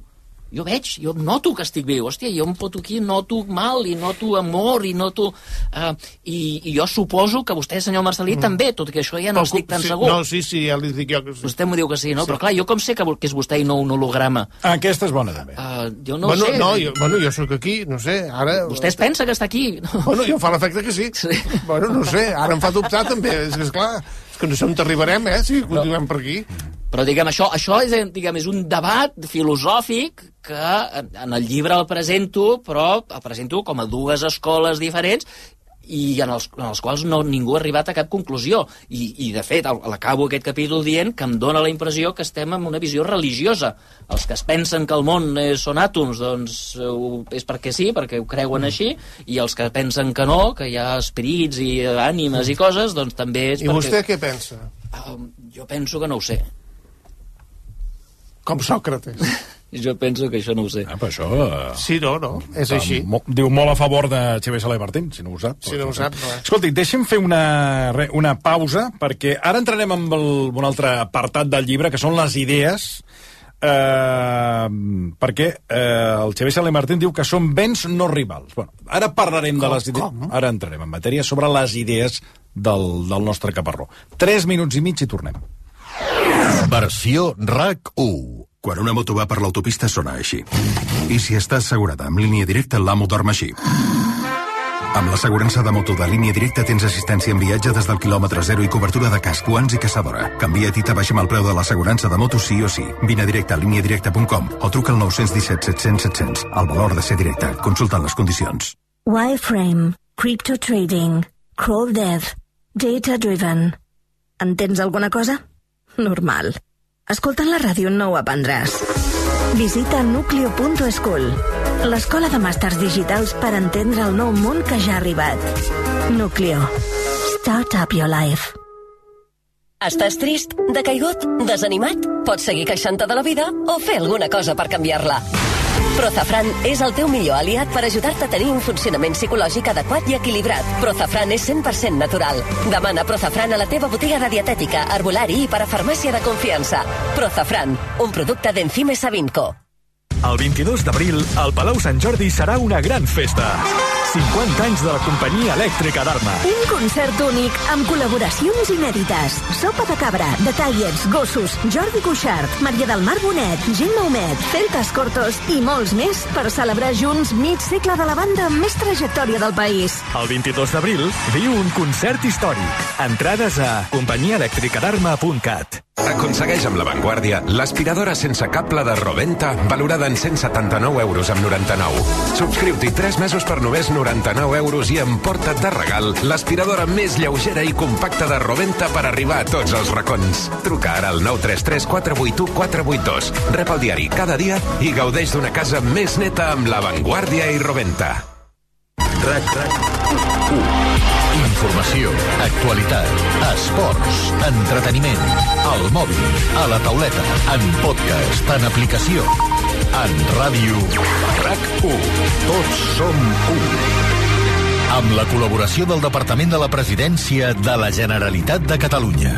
Jo veig, jo noto que estic viu. Hòstia, jo em foto aquí, noto mal, i noto amor, i noto... Uh, i, I jo suposo que vostè, senyor Marcelí, mm. també, tot que això ja no estic tan sí, segur. No, sí, sí, ja li dic jo que sí. Vostè m'ho diu que sí, no? Sí. Però clar, jo com sé que, que és vostè i no un holograma? Aquesta és bona, també. Uh, jo no bueno, ho sé. No, jo, bueno, jo sóc aquí, no sé, ara... Vostè es pensa que està aquí? Bueno, jo fa l'efecte que sí. sí. Bueno, no sé, ara em fa dubtar també, és que esclar... És que no sé on t'arribarem, eh, si continuem no. per aquí. Però, diguem, això, això és, diguem, és un debat filosòfic que en el llibre el presento, però el presento com a dues escoles diferents i en els, en els quals no, ningú ha arribat a cap conclusió. I, i de fet, l'acabo aquest capítol dient que em dóna la impressió que estem en una visió religiosa. Els que es pensen que el món és, són àtoms, doncs és perquè sí, perquè ho creuen així, i els que pensen que no, que hi ha espirits i ànimes i coses, doncs també és I perquè... I vostè què pensa? Uh, jo penso que no ho sé. Com Sòcrates. Jo penso que això no ho sé. Ah, però això... Uh, sí, no, no, és uh, així. Mo, diu molt a favor de Xavier Soler Martín, si no ho sap. Si no ho sap, no. Escolti, deixem fer una, re, una pausa, perquè ara entrarem en el, un altre apartat del llibre, que són les idees, eh, perquè eh, el Xavier Soler Martín diu que són béns no rivals. Bueno, ara parlarem com, de les idees... Com? Ara entrarem en matèria sobre les idees del, del nostre caparró. Tres minuts i mig i tornem. Versió R A C u. Quan una moto va per l'autopista sona així. I si està assegurada amb línia directa, l'amo dorm així. Amb l'assegurança de moto de línia directa tens assistència en viatge des del quilòmetre zero i cobertura de casc, guants i caçadora. Canvia't i t'abaixem el preu de l'assegurança de moto sí o sí. Vine a directe a línia directa punt com o truca al nou un set set cents set cents. El valor de ser directe. Consulta les condicions. Wireframe, Crypto Trading, Crawl Dev, Data Driven. Entens alguna cosa? Normal. Escoltant la ràdio no ho aprendràs. Visita nucleo punt school, l'escola de màsters digitals per entendre el nou món que ja ha arribat. Nucleo. Start up your life. Estàs trist, decaigut, desanimat? Pots seguir queixant-te de la vida o fer alguna cosa per canviar-la. Prozafran és el teu millor aliat per ajudar-te a tenir un funcionament psicològic adequat i equilibrat. Prozafran és cent per cent natural. Demana Prozafran a la teva botiga de dietètica, herbolari i parafarmàcia de confiança. Prozafran, un producte d'Enzime Savinco. El vint-i-dos d'abril, al Palau Sant Jordi serà una gran festa. cinquanta anys de la companyia elèctrica d'Arma. Un concert únic amb col·laboracions inèdites. Sopa de cabra, Detallets, Gossos, Jordi Cuixart, Maria del Mar Bonet, Gemma Humet, Celtas Cortos i molts més per celebrar junts mig segle de la banda amb més trajectòria del país. El vint-i-dos d'abril viu un concert històric. Entrades a companyia elèctrica d'arma punt cat. Aconsegueix amb La Vanguardia l'aspiradora sense cable de Roventa, valorada en cent setanta-nou euros amb noranta-nou. Subscriu-t'hi tres mesos per només noranta-nou euros i emporta't de regal l'aspiradora més lleugera i compacta de Roventa per arribar a tots els racons. Truca ara al nou tres tres quatre vuit u quatre vuit dos. Rep el diari cada dia i gaudeix d'una casa més neta amb La Vanguardia i Roventa. RAC RAC u. Informació, actualitat, esports, entreteniment, al mòbil, a la tauleta, en podcast, en aplicació, en ràdio. RAC u. Tots som u. Amb la col·laboració del Departament de la Presidència de la Generalitat de Catalunya.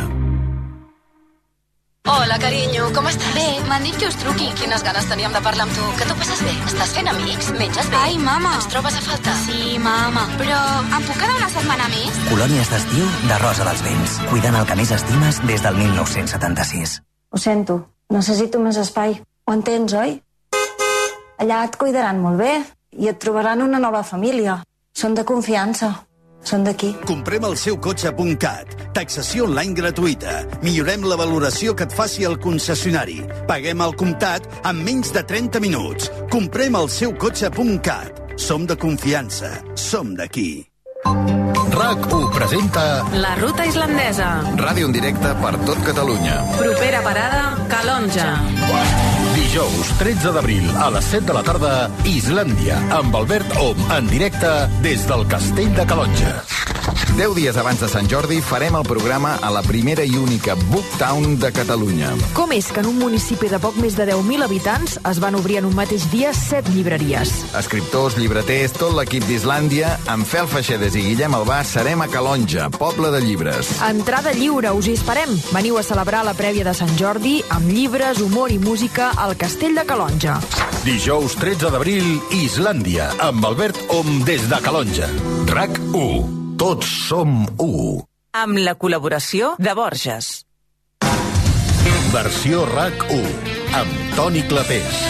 Hola, carinyo, com estàs? Bé, m'han dit que us truqui. Quines ganes teníem de parlar amb tu. Que t'ho passes bé? Estàs fent amics? Menges bé? Ai, mama. Ens trobes a falta? Sí, mama. Però em puc quedar una setmana més? Colònies d'estiu de Rosa dels Vents. Cuidant el que més estimes des del mil nou-cents setanta-sis. Ho sento, necessito més espai. Ho entens, oi? Allà et cuidaran molt bé i et trobaran una nova família. Són de confiança. Són d'aquí. Comprem el seu cotxe punt cat. Taxació online gratuïta. Millorem la valoració que et faci el concessionari. Paguem al comptat en menys de trenta minuts. Comprem el seu cotxe punt cat. Som de confiança. Som d'aquí. RAC u presenta La ruta islandesa. Ràdio en directe per tot Catalunya. Propera parada, Calonja. Dijous, tretze d'abril, a les set de la tarda, Islàndia, amb Albert Om, en directe des del Castell de Calonja. Deu dies abans de Sant Jordi farem el programa a la primera i única Booktown de Catalunya. Com és que en un municipi de poc més de deu mil habitants es van obrir en un mateix dia set llibreries? Escriptors, llibreters, tot l'equip d'Islàndia, amb Fel Feixedes i Guillem Albà, serem a Calonja, poble de llibres. Entrada lliure, us hi esperem. Veniu a celebrar la prèvia de Sant Jordi amb llibres, humor i música al Castell de Calonja. Dijous, tretze d'abril, Islàndia, amb Albert Om des de Calonja. RAC u. Tots som u. Amb la col·laboració de Borges. Versió RAC u, amb Toni Clapés.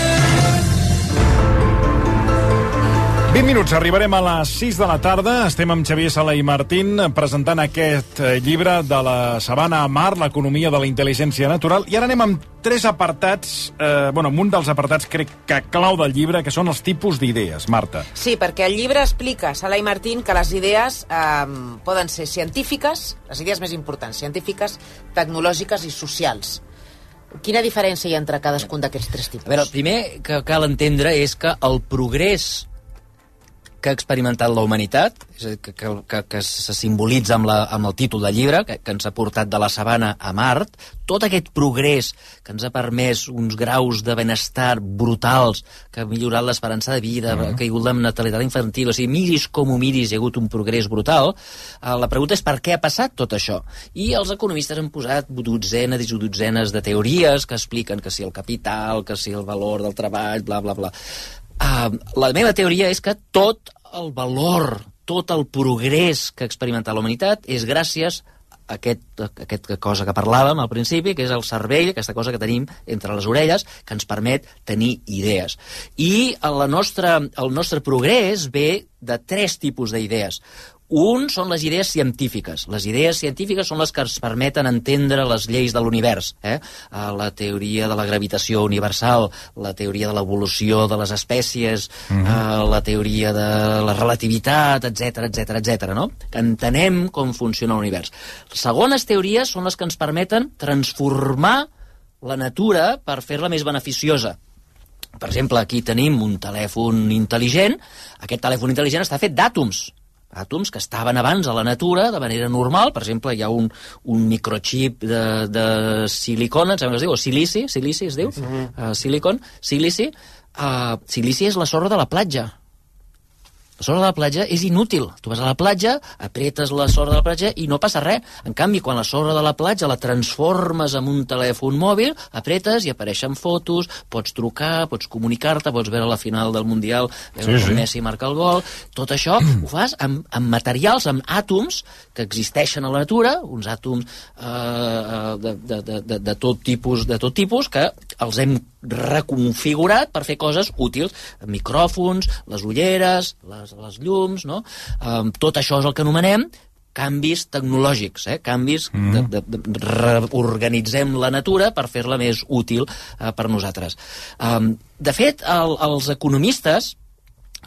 vint minuts, arribarem a les sis de la tarda. Estem amb Xavier Sala i Martín presentant aquest llibre de la Sabana a Mar, l'economia de la intel·ligència natural. I ara anem amb tres apartats, eh, bueno, amb un dels apartats crec que clau del llibre, que són els tipus d'idees. Marta. Sí, perquè el llibre explica, Sala i Martín, que les idees eh, poden ser científiques, les idees més importants, científiques, tecnològiques i socials. Quina diferència hi ha entre cadascun d'aquests tres tipus? A veure, el primer que cal entendre és que el progrés que ha experimentat la humanitat, que, que, que se simbolitza amb, la, amb el títol del llibre, que, que ens ha portat de la sabana a Mart, tot aquest progrés que ens ha permès uns graus de benestar brutals, que ha millorat l'esperança de vida, uh-huh. que ha caigut la natalitat infantil, o sigui, miris com ho miris, hi ha hagut un progrés brutal. La pregunta és per què ha passat tot això? I els economistes han posat dotzenes i dotzenes de teories que expliquen que si el capital, que si el valor del treball, bla, bla, bla. Uh, la meva teoria és que tot el valor, tot el progrés que ha experimentat la humanitat és gràcies a aquest, a aquesta cosa que parlàvem al principi, que és el cervell, aquesta cosa que tenim entre les orelles, que ens permet tenir idees. I la nostra, el nostre progrés ve de tres tipus d'idees. Un són les idees científiques. Les idees científiques són les que ens permeten entendre les lleis de l'univers. Eh? La teoria de la gravitació universal, la teoria de l'evolució de les espècies, mm-hmm. la teoria de la relativitat, etcètera, etcètera, etcètera, no? Que entenem com funciona l'univers. Les segones teories són les que ens permeten transformar la natura per fer-la més beneficiosa. Per exemple, aquí tenim un telèfon intel·ligent. Aquest telèfon intel·ligent està fet d'àtoms. Àtoms que estaven abans a la natura de manera normal. Per exemple, hi ha un, un microchip de, de silicona, em sembla que es diu, o silici, silici es diu, mm-hmm. uh, silicon, silici. Uh, silici és la sorra de la platja. La sorra de la platja és inútil. Tu vas a la platja, apretes la sorra de la platja i no passa res. En canvi, quan la sorra de la platja la transformes en un telèfon mòbil, apretes i apareixen fotos, pots trucar, pots comunicar-te, pots veure la final del Mundial, veure sí, sí. Messi marca el gol. Tot això ho fas amb, amb materials, amb àtoms que existeixen a la natura, uns àtoms eh, de, de, de, de, de, tot tipus, de tot tipus que els hem reconfigurat per fer coses útils. Micròfons, les ulleres, les les llums, no? Um, tot això és el que anomenem canvis tecnològics, eh? canvis mm. de, de, de reorganitzem la natura per fer-la més útil eh, per nosaltres. Um, de fet, el, els economistes,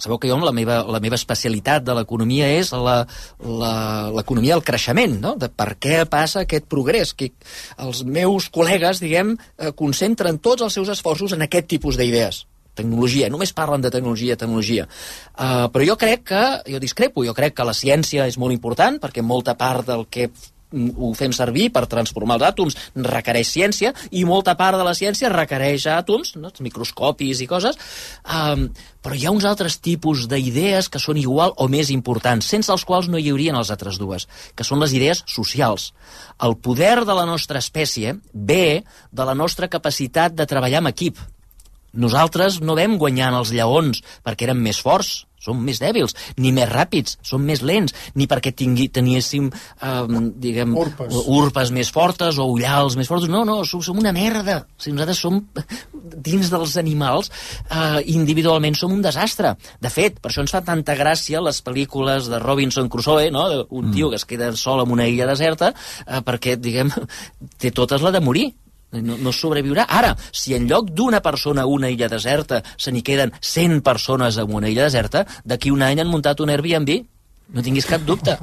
sabeu que jo la meva, la meva especialitat de l'economia és la, la, l'economia del creixement, no? De per què passa aquest progrés, que els meus col·legues, diguem, eh, concentren tots els seus esforços en aquest tipus d'idees. Tecnologia, només parlen de tecnologia, tecnologia. Uh, però jo crec que, jo discrepo, jo crec que la ciència és molt important, perquè molta part del que ho fem servir per transformar els àtoms requereix ciència, i molta part de la ciència requereix àtoms, no? Microscopis i coses, um, però hi ha uns altres tipus d'idees que són igual o més importants, sense els quals no hi haurien les altres dues, que són les idees socials. El poder de la nostra espècie ve de la nostra capacitat de treballar en equip. Nosaltres no vam guanyant els lleons perquè érem més forts, som més dèbils, ni més ràpids, som més lents, ni perquè tingui, teniéssim, eh, diguem, urpes. urpes més fortes o ullals més fortes. No, no, som, som una merda. O sigui, nosaltres som, dins dels animals, eh, individualment som un desastre. De fet, per això ens fa tanta gràcia les pel·lícules de Robinson Crusoe, no? Un tio que es queda sol en una illa deserta, eh, perquè, diguem, té totes la de morir. No, no sobreviurà. Ara, si en lloc d'una persona a una illa deserta se n'hi queden cent persones en una illa deserta, d'aquí un any han muntat un Airbnb. No tinguis cap dubte.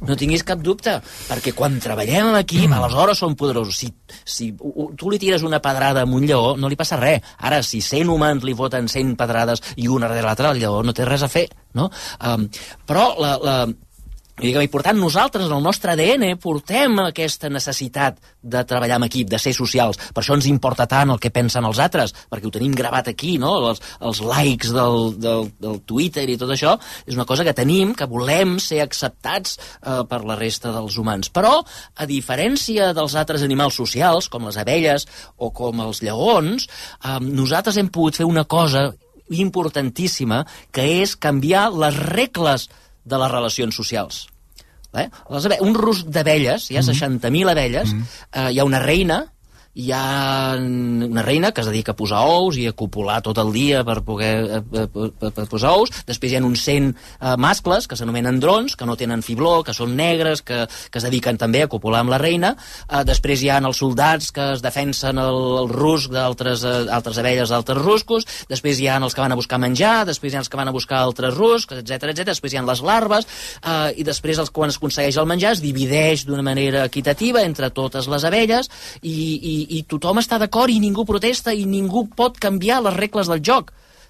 No tinguis cap dubte. Perquè quan treballem en equip, aleshores som poderosos. Si, si tu li tires una pedrada a un lleó, no li passa res. Ara, si cent humans li foten cent pedrades i una darrere l'altra, el lleó no té res a fer, no? Um, però la... la I per tant, nosaltres, en el nostre A D N, portem aquesta necessitat de treballar en equip, de ser socials. Per això ens importa tant el que pensen els altres, perquè ho tenim gravat aquí, no? Els, els likes del, del, del Twitter i tot això, és una cosa que tenim, que volem ser acceptats eh, per la resta dels humans. Però, a diferència dels altres animals socials, com les abelles o com els lleons, eh, nosaltres hem pogut fer una cosa importantíssima, que és canviar les regles de les relacions socials. Eh? Les abe- un rusc d'abelles, hi ha seixanta mil abelles, eh, hi ha una reina, hi ha una reina que es dedica a posar ous i a copular tot el dia per poder per, per, per posar ous. Després hi ha uns cent uh, mascles que s'anomenen drons, que no tenen fibló, que són negres, que, que es dediquen també a copular amb la reina. Uh, després hi ha els soldats que es defensen el, el rusc d'altres uh, altres abelles d'altres ruscos. Després hi ha els que van a buscar menjar, després hi ha els que van a buscar altres ruscs, etcètera, etcètera. Després hi ha les larves, uh, i després els, quan es aconsegueix el menjar es divideix d'una manera equitativa entre totes les abelles, i, i i tothom està d'acord i ningú protesta i ningú pot canviar les regles del joc.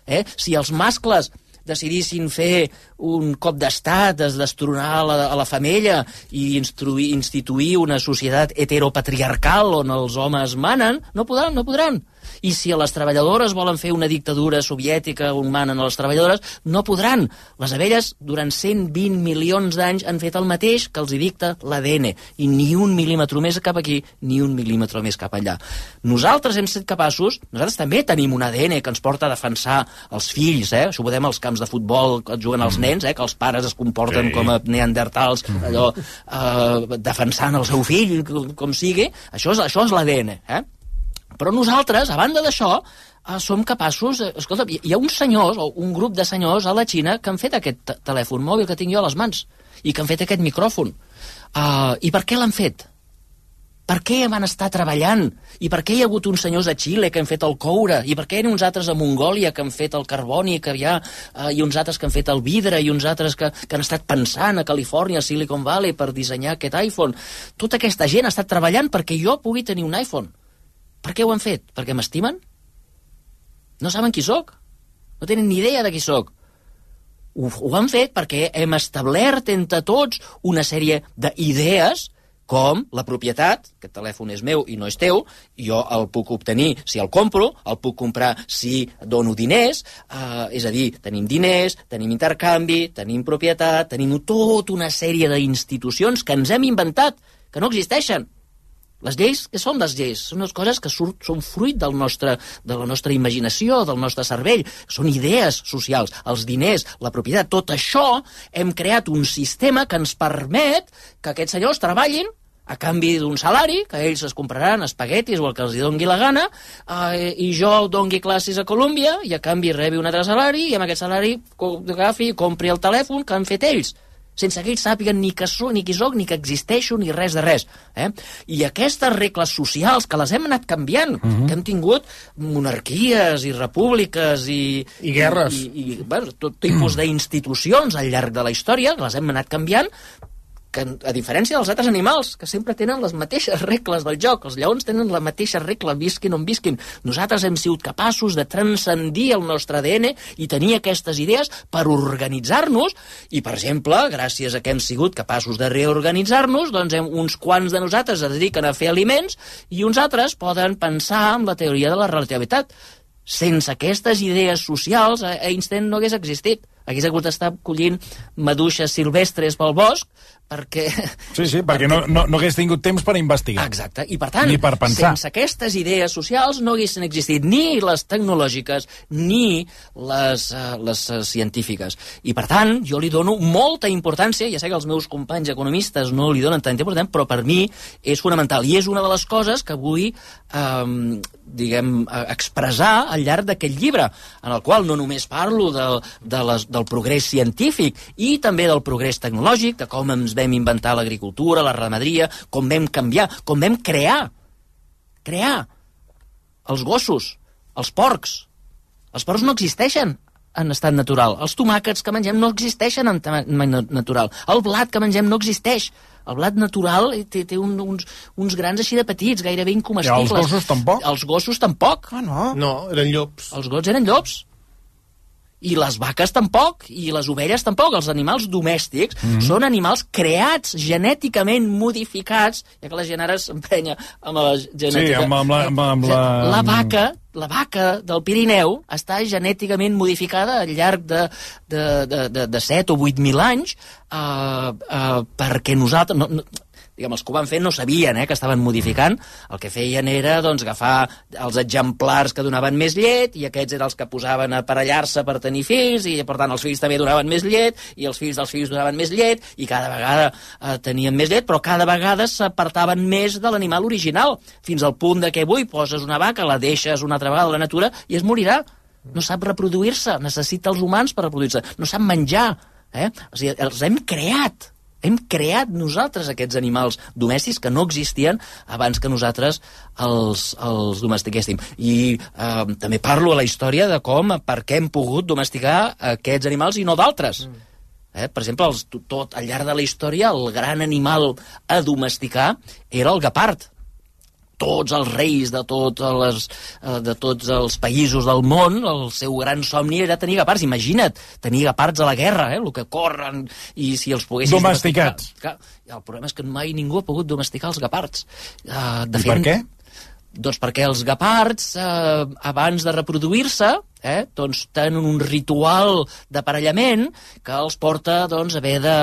Eh? Si els mascles decidissin fer un cop d'estat, es destronar la, a la femella i instruir, instituir una societat heteropatriarcal on els homes manen, no podran, no podran. I si a les treballadores volen fer una dictadura soviètica on manen a les treballadores, no podran. Les abelles, durant cent vint milions d'anys, han fet el mateix que els hi dicta l'A D N. I ni un mil·límetre més cap aquí, ni un mil·límetre més cap allà. Nosaltres hem estat capaços, nosaltres també tenim un A D N que ens porta a defensar els fills, eh? Això ho veiem als camps de futbol que juguen els nens, eh? Que els pares es comporten sí. com a neandertals, allò, eh, defensant el seu fill, com, com sigui. Això és, això és l'A D N, eh? Però nosaltres, a banda d'això, eh, som capaços... Eh, escolta, hi ha uns senyors, o un grup de senyors a la Xina que han fet aquest telèfon mòbil que tinc jo a les mans i que han fet aquest micròfon. Uh, I per què l'han fet? Per què van estar treballant? I per què hi ha hagut uns senyors a Xile que han fet el coure? I per què hi ha uns altres a Mongòlia que han fet el carboni, que hi ha, uh, i uns altres que han fet el vidre, i uns altres que, que han estat pensant a Califòrnia, a Silicon Valley, per dissenyar aquest iPhone? Tota aquesta gent ha estat treballant perquè jo pugui tenir un iPhone. Per què ho han fet? Perquè m'estimen? No saben qui sóc? No tenen ni idea de qui sóc. Ho, ho han fet perquè hem establert entre tots una sèrie d'idees com la propietat, aquest telèfon és meu i no és teu, jo el puc obtenir si el compro, el puc comprar si dono diners, eh, és a dir, tenim diners, tenim intercanvi, tenim propietat, tenim tota una sèrie d'institucions que ens hem inventat, que no existeixen. Les lleis, què són les lleis? Són unes coses que surt, són fruit del nostre, de la nostra imaginació, del nostre cervell. Són idees socials, els diners, la propietat. Tot això hem creat un sistema que ens permet que aquests senyors treballin a canvi d'un salari, que ells es compraran espaguetis o el que els doni la gana, eh, i jo doni classes a Colòmbia i a canvi rebi un altre salari i amb aquest salari agafi i compri el telèfon que han fet ells. sense que ells sàpiguen ni que soc, ni qui soc, ni que existeixo, ni res de res. Eh? I aquestes regles socials, que les hem anat canviant, uh-huh. que hem tingut monarquies i repúbliques i... I guerres. I, i, i bueno, tot tipus d'institucions al llarg de la història, que les hem anat canviant, que a diferència dels altres animals, que sempre tenen les mateixes regles del joc. Els lleons tenen la mateixa regla, visquin on visquin. Nosaltres hem sigut capaços de transcendir el nostre A D N i tenir aquestes idees per organitzar-nos, i, per exemple, gràcies a que hem sigut capaços de reorganitzar-nos, doncs hem, uns quants de nosaltres es dediquen a fer aliments i uns altres poden pensar en la teoria de la relativitat. Sense aquestes idees socials, Einstein no hagués existit. Hagués hagut d'estar collint maduixes silvestres pel bosc perquè... Sí, sí, perquè no, no, no hagués tingut temps per investigar. Exacte, i per tant, ni per pensar. Sense aquestes idees socials no haguessin existit ni les tecnològiques ni les, uh, les uh, científiques. I per tant, jo li dono molta importància, ja sé que els meus companys economistes no li donen tanta importància, però per mi és fonamental, i és una de les coses que vull um, diguem, expressar al llarg d'aquest llibre, en el qual no només parlo de, de les, del progrés científic i també del progrés tecnològic, de com ens vam inventar l'agricultura, la ramaderia, com vam canviar, com vam crear, crear els gossos, els porcs. Els porcs no existeixen en estat natural. Els tomàquets que mengem no existeixen en estat natural. El blat que mengem no existeix. El blat natural té, té un, uns, uns grans així de petits, gairebé incomestibles. I els gossos tampoc? Els gossos tampoc. Ah, no? No, eren llops. Els gossos eren llops. I les vaques tampoc, i les ovelles tampoc. Els animals domèstics mm-hmm. són animals creats, genèticament modificats, ja que la gent ara s'emprenya amb la genètica. Sí, amb, amb, la, amb, amb la... La vaca, la vaca del Pirineu està genèticament modificada al llarg de, de, de, de, de set o vuit mil anys uh, uh, perquè nosaltres... No, no, diguem, els que ho van fer no sabien eh, que estaven modificant. El que feien era doncs, agafar els exemplars que donaven més llet, i aquests eren els que posaven a aparellar-se per tenir fills, i per tant els fills també donaven més llet, i els fills dels fills donaven més llet, i cada vegada eh, tenien més llet, però cada vegada s'apartaven més de l'animal original, fins al punt de que avui poses una vaca, la deixes una altra vegada a la natura i es morirà. No sap reproduir-se, necessita els humans per reproduir-se, no sap menjar. Eh? O sigui, els hem creat. Hem creat nosaltres aquests animals domèstics que no existien abans que nosaltres els, els domestiquéssim. I eh, també parlo a la història de com, per què hem pogut domesticar aquests animals i no d'altres. Mm. Eh, per exemple, els, tot al llarg de la història, el gran animal a domesticar era el guepard. Tots els reis de, tot les, de tots els països del món, el seu gran somni era tenir guepards. Imagina't, tenir guepards a la guerra, eh? El que corren, i si els poguessis domesticats. Domesticar. El problema és que mai ningú ha pogut domesticar els guepards. Uh, de I fet, per què? Doncs perquè els guepards, eh, abans de reproduir-se, eh, doncs tenen un ritual d'aparellament que els porta doncs, a haver de,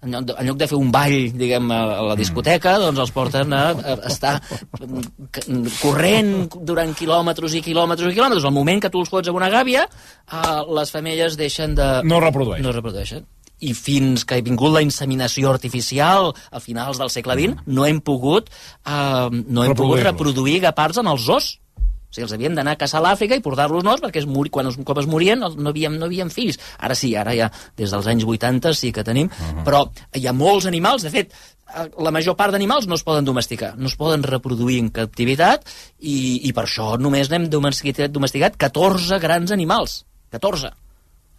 en lloc de, en lloc de fer un ball, diguem, a, a la discoteca, doncs els porten a, a estar corrent durant quilòmetres i quilòmetres i quilòmetres. Al moment que tu els fots amb una gàbia, eh, les femelles deixen de... No reprodueixen. No reprodueixen. I fins que ha vingut la inseminació artificial a finals del segle vint, no hem pogut, eh, no hem pogut reproduir guepards en els zoos. O sigui, els havien d'anar a caçar a l'Àfrica i portar-los nous perquè es mori, quan un cop es morien no havíem, no havíem fills. Ara sí, ara ja des dels anys vuitanta sí que tenim, uh-huh. però hi ha molts animals, de fet, la major part d'animals no es poden domesticar, no es poden reproduir en captivitat, i, i per això només n'hem domesticat, domesticat catorze grans animals. catorze.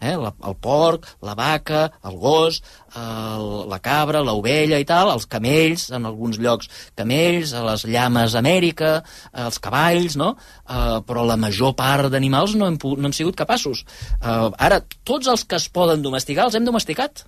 Eh, la, el porc, la vaca, el gos, el, la cabra, l'ovella i tal, els camells, en alguns llocs camells, les llames a Amèrica, els cavalls, no? Uh, però la major part d'animals no hem, no hem sigut capaços. Uh, ara, tots els que es poden domesticar els hem domesticat.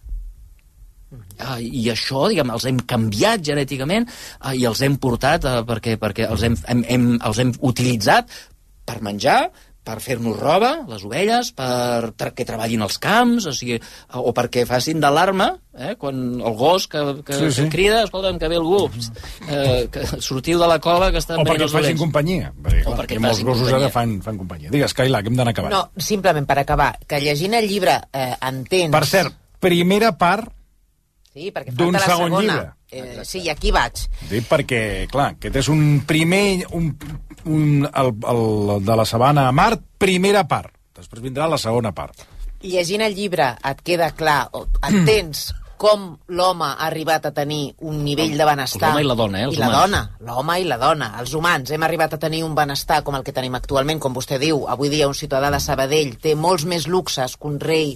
Uh, i això, diguem, els hem canviat genèticament uh, i els hem portat uh, perquè, perquè els, hem, hem, hem, els hem utilitzat per menjar, per fer-nos roba, les ovelles, per que treballin als camps, o sigui, o perquè facin d'alarma, eh, quan el gos que, que, sí, sí. que crida, escolta'm, que ve algú, eh, que sortiu de la cova que estan o perquè els facin dolents. companyia, perquè, clar, o perquè molts gossos companyia. ara fan, fan companyia. Digues, Cailà, que hem d'anar acabant. No, simplement per acabar, que llegint el llibre eh, entens... Per cert, primera part sí, perquè d'un falta la segon segona. llibre. Eh, sí, i aquí vaig. Dic perquè, clar, aquest és un primer... Un, un, el, el de la sabana a Mart, primera part. Després vindrà la segona part. Llegint el llibre et queda clar, o entens com l'home ha arribat a tenir un nivell de benestar... L'home i la dona, eh? Els I la humans. dona, l'home i la dona. Els humans hem arribat a tenir un benestar com el que tenim actualment, com vostè diu. Avui dia un ciutadà de Sabadell té molts més luxes que un rei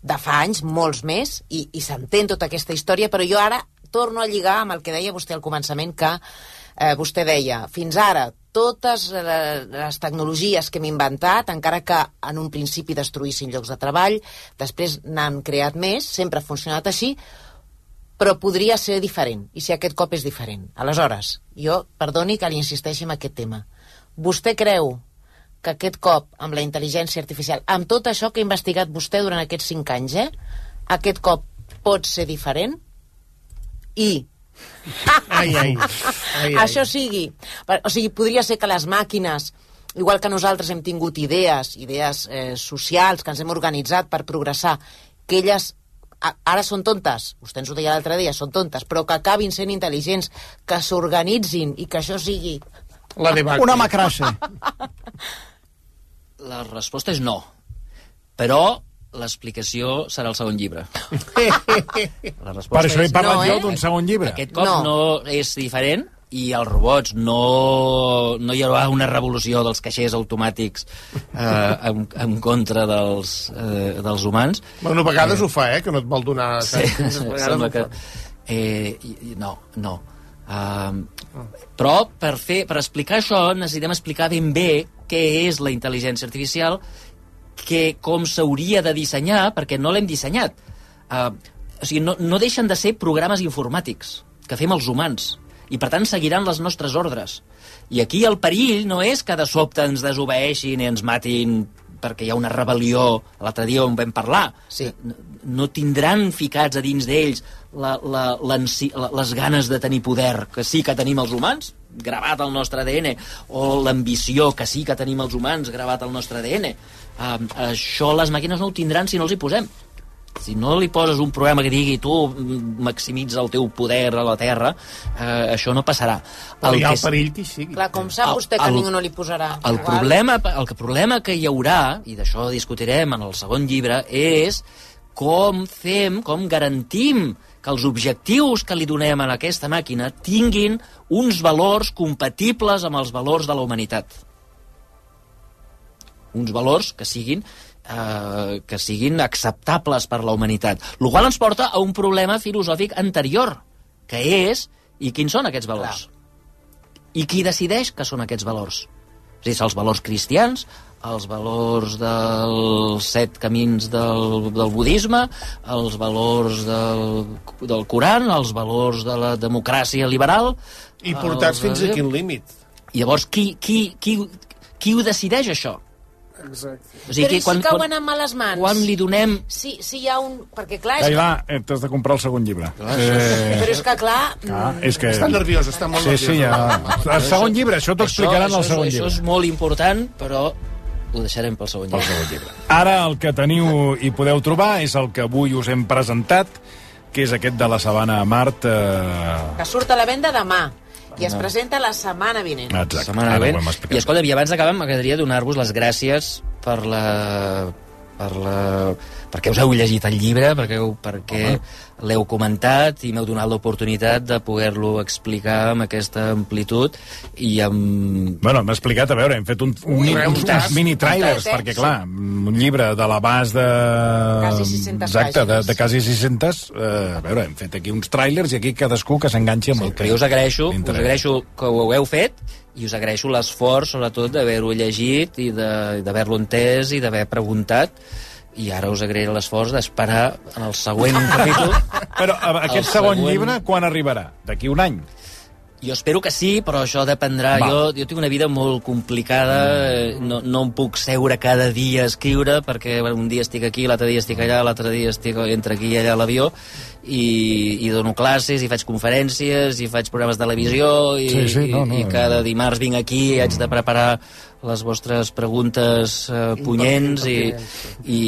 de fa anys, molts més, i, i s'entén tota aquesta història, però jo ara torno a lligar amb el que deia vostè al començament, que eh, vostè deia, fins ara, totes les tecnologies que hem inventat, encara que en un principi destruïssin llocs de treball, després n'han creat més, sempre ha funcionat així, però podria ser diferent, i si aquest cop és diferent. Aleshores, jo, perdoni que li insisteixi en aquest tema. Vostè creu que aquest cop, amb la intel·ligència artificial, amb tot això que ha investigat vostè durant aquests cinc anys, eh, aquest cop pot ser diferent? I... Ai, ai. ai, ai. Això sigui, o sigui, podria ser que les màquines, igual que nosaltres hem tingut idees, idees eh, socials, que ens hem organitzat per progressar, que elles a, ara són tontes, vostè ens ho deia l'altre dia, són tontes, però que acabin sent intel·ligents, que s'organitzin i que això sigui... La una macrassa. La resposta és no. Però l'explicació serà el segon llibre. La per això he parlat no, jo eh? d'un segon llibre. Aquest cop no. no és diferent i els robots no, no hi haurà una revolució dels caixers automàtics eh, en, en contra dels, eh, dels humans. Bueno, a vegades eh, ho fa, eh, que no et vol donar... Sí, sembla que... Eh, no, no. Uh, però per, fer, per explicar això necessitem explicar ben bé què és la intel·ligència artificial, que com s'hauria de dissenyar, perquè no l'hem dissenyat. Uh, o sigui, no, no deixen de ser programes informàtics que fem els humans, i per tant seguiran les nostres ordres. I aquí el perill no és que de sobte ens desobeeixin i ens matin perquè hi ha una rebel·lió, l'altre dia on vam parlar. Sí. No, no tindran ficats a dins d'ells la, la, la, les ganes de tenir poder, que sí que tenim els humans, gravat al nostre A D N, o l'ambició que sí que tenim els humans, gravat al nostre A D N. Uh, això les màquines no ho tindran si no els hi posem. Si no li poses un programa que digui tu maximitza el teu poder a la Terra, eh, això no passarà. Però hi ha el perill que hi sigui. Clar, com sap vostè que el, ningú no li posarà? El problema, el problema que hi haurà, i d'això discutirem en el segon llibre, és com fem, com garantim que els objectius que li donem a aquesta màquina tinguin uns valors compatibles amb els valors de la humanitat. Uns valors que siguin eh, que siguin acceptables per la humanitat. El qual ens porta a un problema filosòfic anterior, que és, i quins són aquests valors? Clar. I qui decideix que són aquests valors? És a dir, els valors cristians, els valors dels set camins del, del budisme, els valors del, del Coran, els valors de la democràcia liberal... I portats els, fins a quin límit? Llavors, qui, qui, qui, qui ho decideix, això? Exacte. O sigui, però i si quan, cauen en males mans? Quan li donem... Si, si hi ha un... Perquè clar... És Cailà, que... t'has de comprar el segon llibre. Clar, eh... Però és que clar... clar és que... Està nerviós, està molt sí, nerviós. Sí, ja... El segon llibre, això t'ho explicaran al segon això, llibre. Això és molt important, però ho deixarem pel segon llibre. Pel segon llibre. Ara el que teniu i podeu trobar és el que avui us hem presentat, que és aquest de la Sabana a Mart. Eh... Que surt a la venda demà. I es presenta la setmana vinent. Exacte. Setmana vinent. I escolta, i abans d'acabar m'agradaria donar-vos les gràcies per la... per la... perquè us heu llegit el llibre, perquè, heu, perquè l'heu comentat i m'heu donat l'oportunitat de poder-lo explicar amb aquesta amplitud i amb... Bueno, m'ha explicat, a veure, hem fet un, un, un, uns, uns mini-trailers, perquè, clar, un llibre de l'abast de... Quasi sis-centes Exacte, de, de quasi sis-centes, eh, a veure, hem fet aquí uns trailers i aquí cadascú que s'enganxi amb sí, el que... Jo us agraeixo, us agraeixo que ho heu fet i us agraeixo l'esforç, sobretot, d'haver-ho llegit i d'haver-lo entès i d'haver preguntat. I ara us agrairé l'esforç d'esperar en el següent capítol. Però aquest segon, segon llibre quan arribarà? D'aquí un any? Jo espero que sí, però això dependrà. Jo, jo tinc una vida molt complicada, no, no em puc seure cada dia a escriure, perquè un dia estic aquí, l'altre dia estic allà, l'altre dia estic entre aquí i allà a l'avió, i, i dono classes, i faig conferències, i faig programes de televisió, i, sí, sí, no, no, i, i cada dimarts vinc aquí i haig de preparar les vostres preguntes eh, punyents, i, i,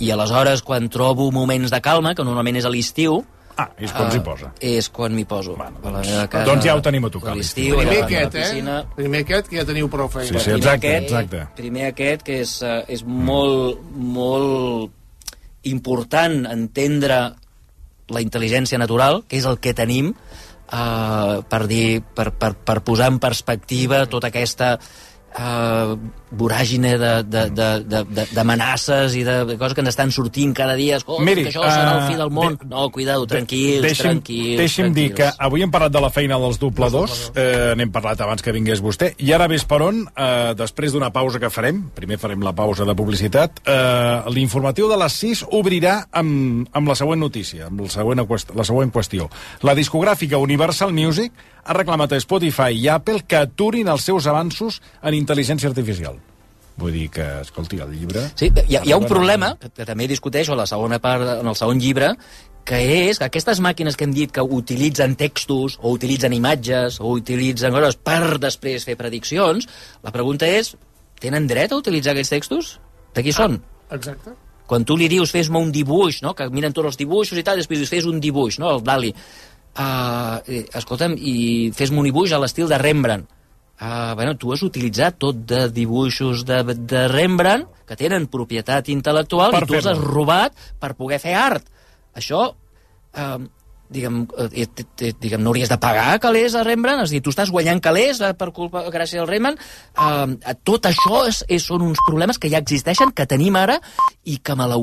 i aleshores, quan trobo moments de calma, que normalment és a l'estiu, Ah, és quan s'hi posa. Uh, és quan m'hi poso. Bueno, doncs, casa, doncs ja ho tenim a tocar. L'estiu, primer aquest, eh? Primer aquest, que ja teniu prou feina. Sí, sí, exacte, exacte. Primer aquest, que és, uh, és molt, molt important entendre la intel·ligència natural, que és el que tenim, uh, per, dir, per, per, per posar en perspectiva tota aquesta uh, voràgine d'amenaces i de coses que ens estan sortint cada dia. Escolta, Miri, que això serà el fi del món. De, no, cuidado, tranquils, deixi'm, tranquils. Deixi'm tranquils. dir que avui hem parlat de la feina dels dobladors, eh, n'hem parlat abans que vingués vostè, i ara ves per on, eh, després d'una pausa que farem, primer farem la pausa de publicitat, eh, l'informatiu de les sis obrirà amb, amb la següent notícia, amb la següent, la següent qüestió. La discogràfica Universal Music ha reclamat a Spotify i Apple que aturin els seus avanços en intel·ligència artificial. Vull dir que, escolti, el llibre... Sí, hi ha, hi ha un problema, que, que també discuteixo a la segona part, en el segon llibre, que és que aquestes màquines que hem dit que utilitzen textos, o utilitzen imatges, o utilitzen coses per després fer prediccions, la pregunta és, tenen dret a utilitzar aquests textos? De qui són? Ah, exacte. Quan tu li dius, fes-me un dibuix, no? Que miren tots els dibuixos i tal, després dius, fes un dibuix, no? El Dali. Uh, escolta'm, i fes-me un dibuix a l'estil de Rembrandt. Uh, bueno, tu has utilitzat tot de dibuixos de, de Rembrandt que tenen propietat intel·lectual per i tu els has robat per poder fer art. Això, uh, diguem, eh, diguem, no hauries de pagar calés a Rembrandt? És a dir, tu estàs guanyant calés per culpa, gràcies al Rembrandt. Uh, tot això és, és, són uns problemes que ja existeixen, que tenim ara i que malauradament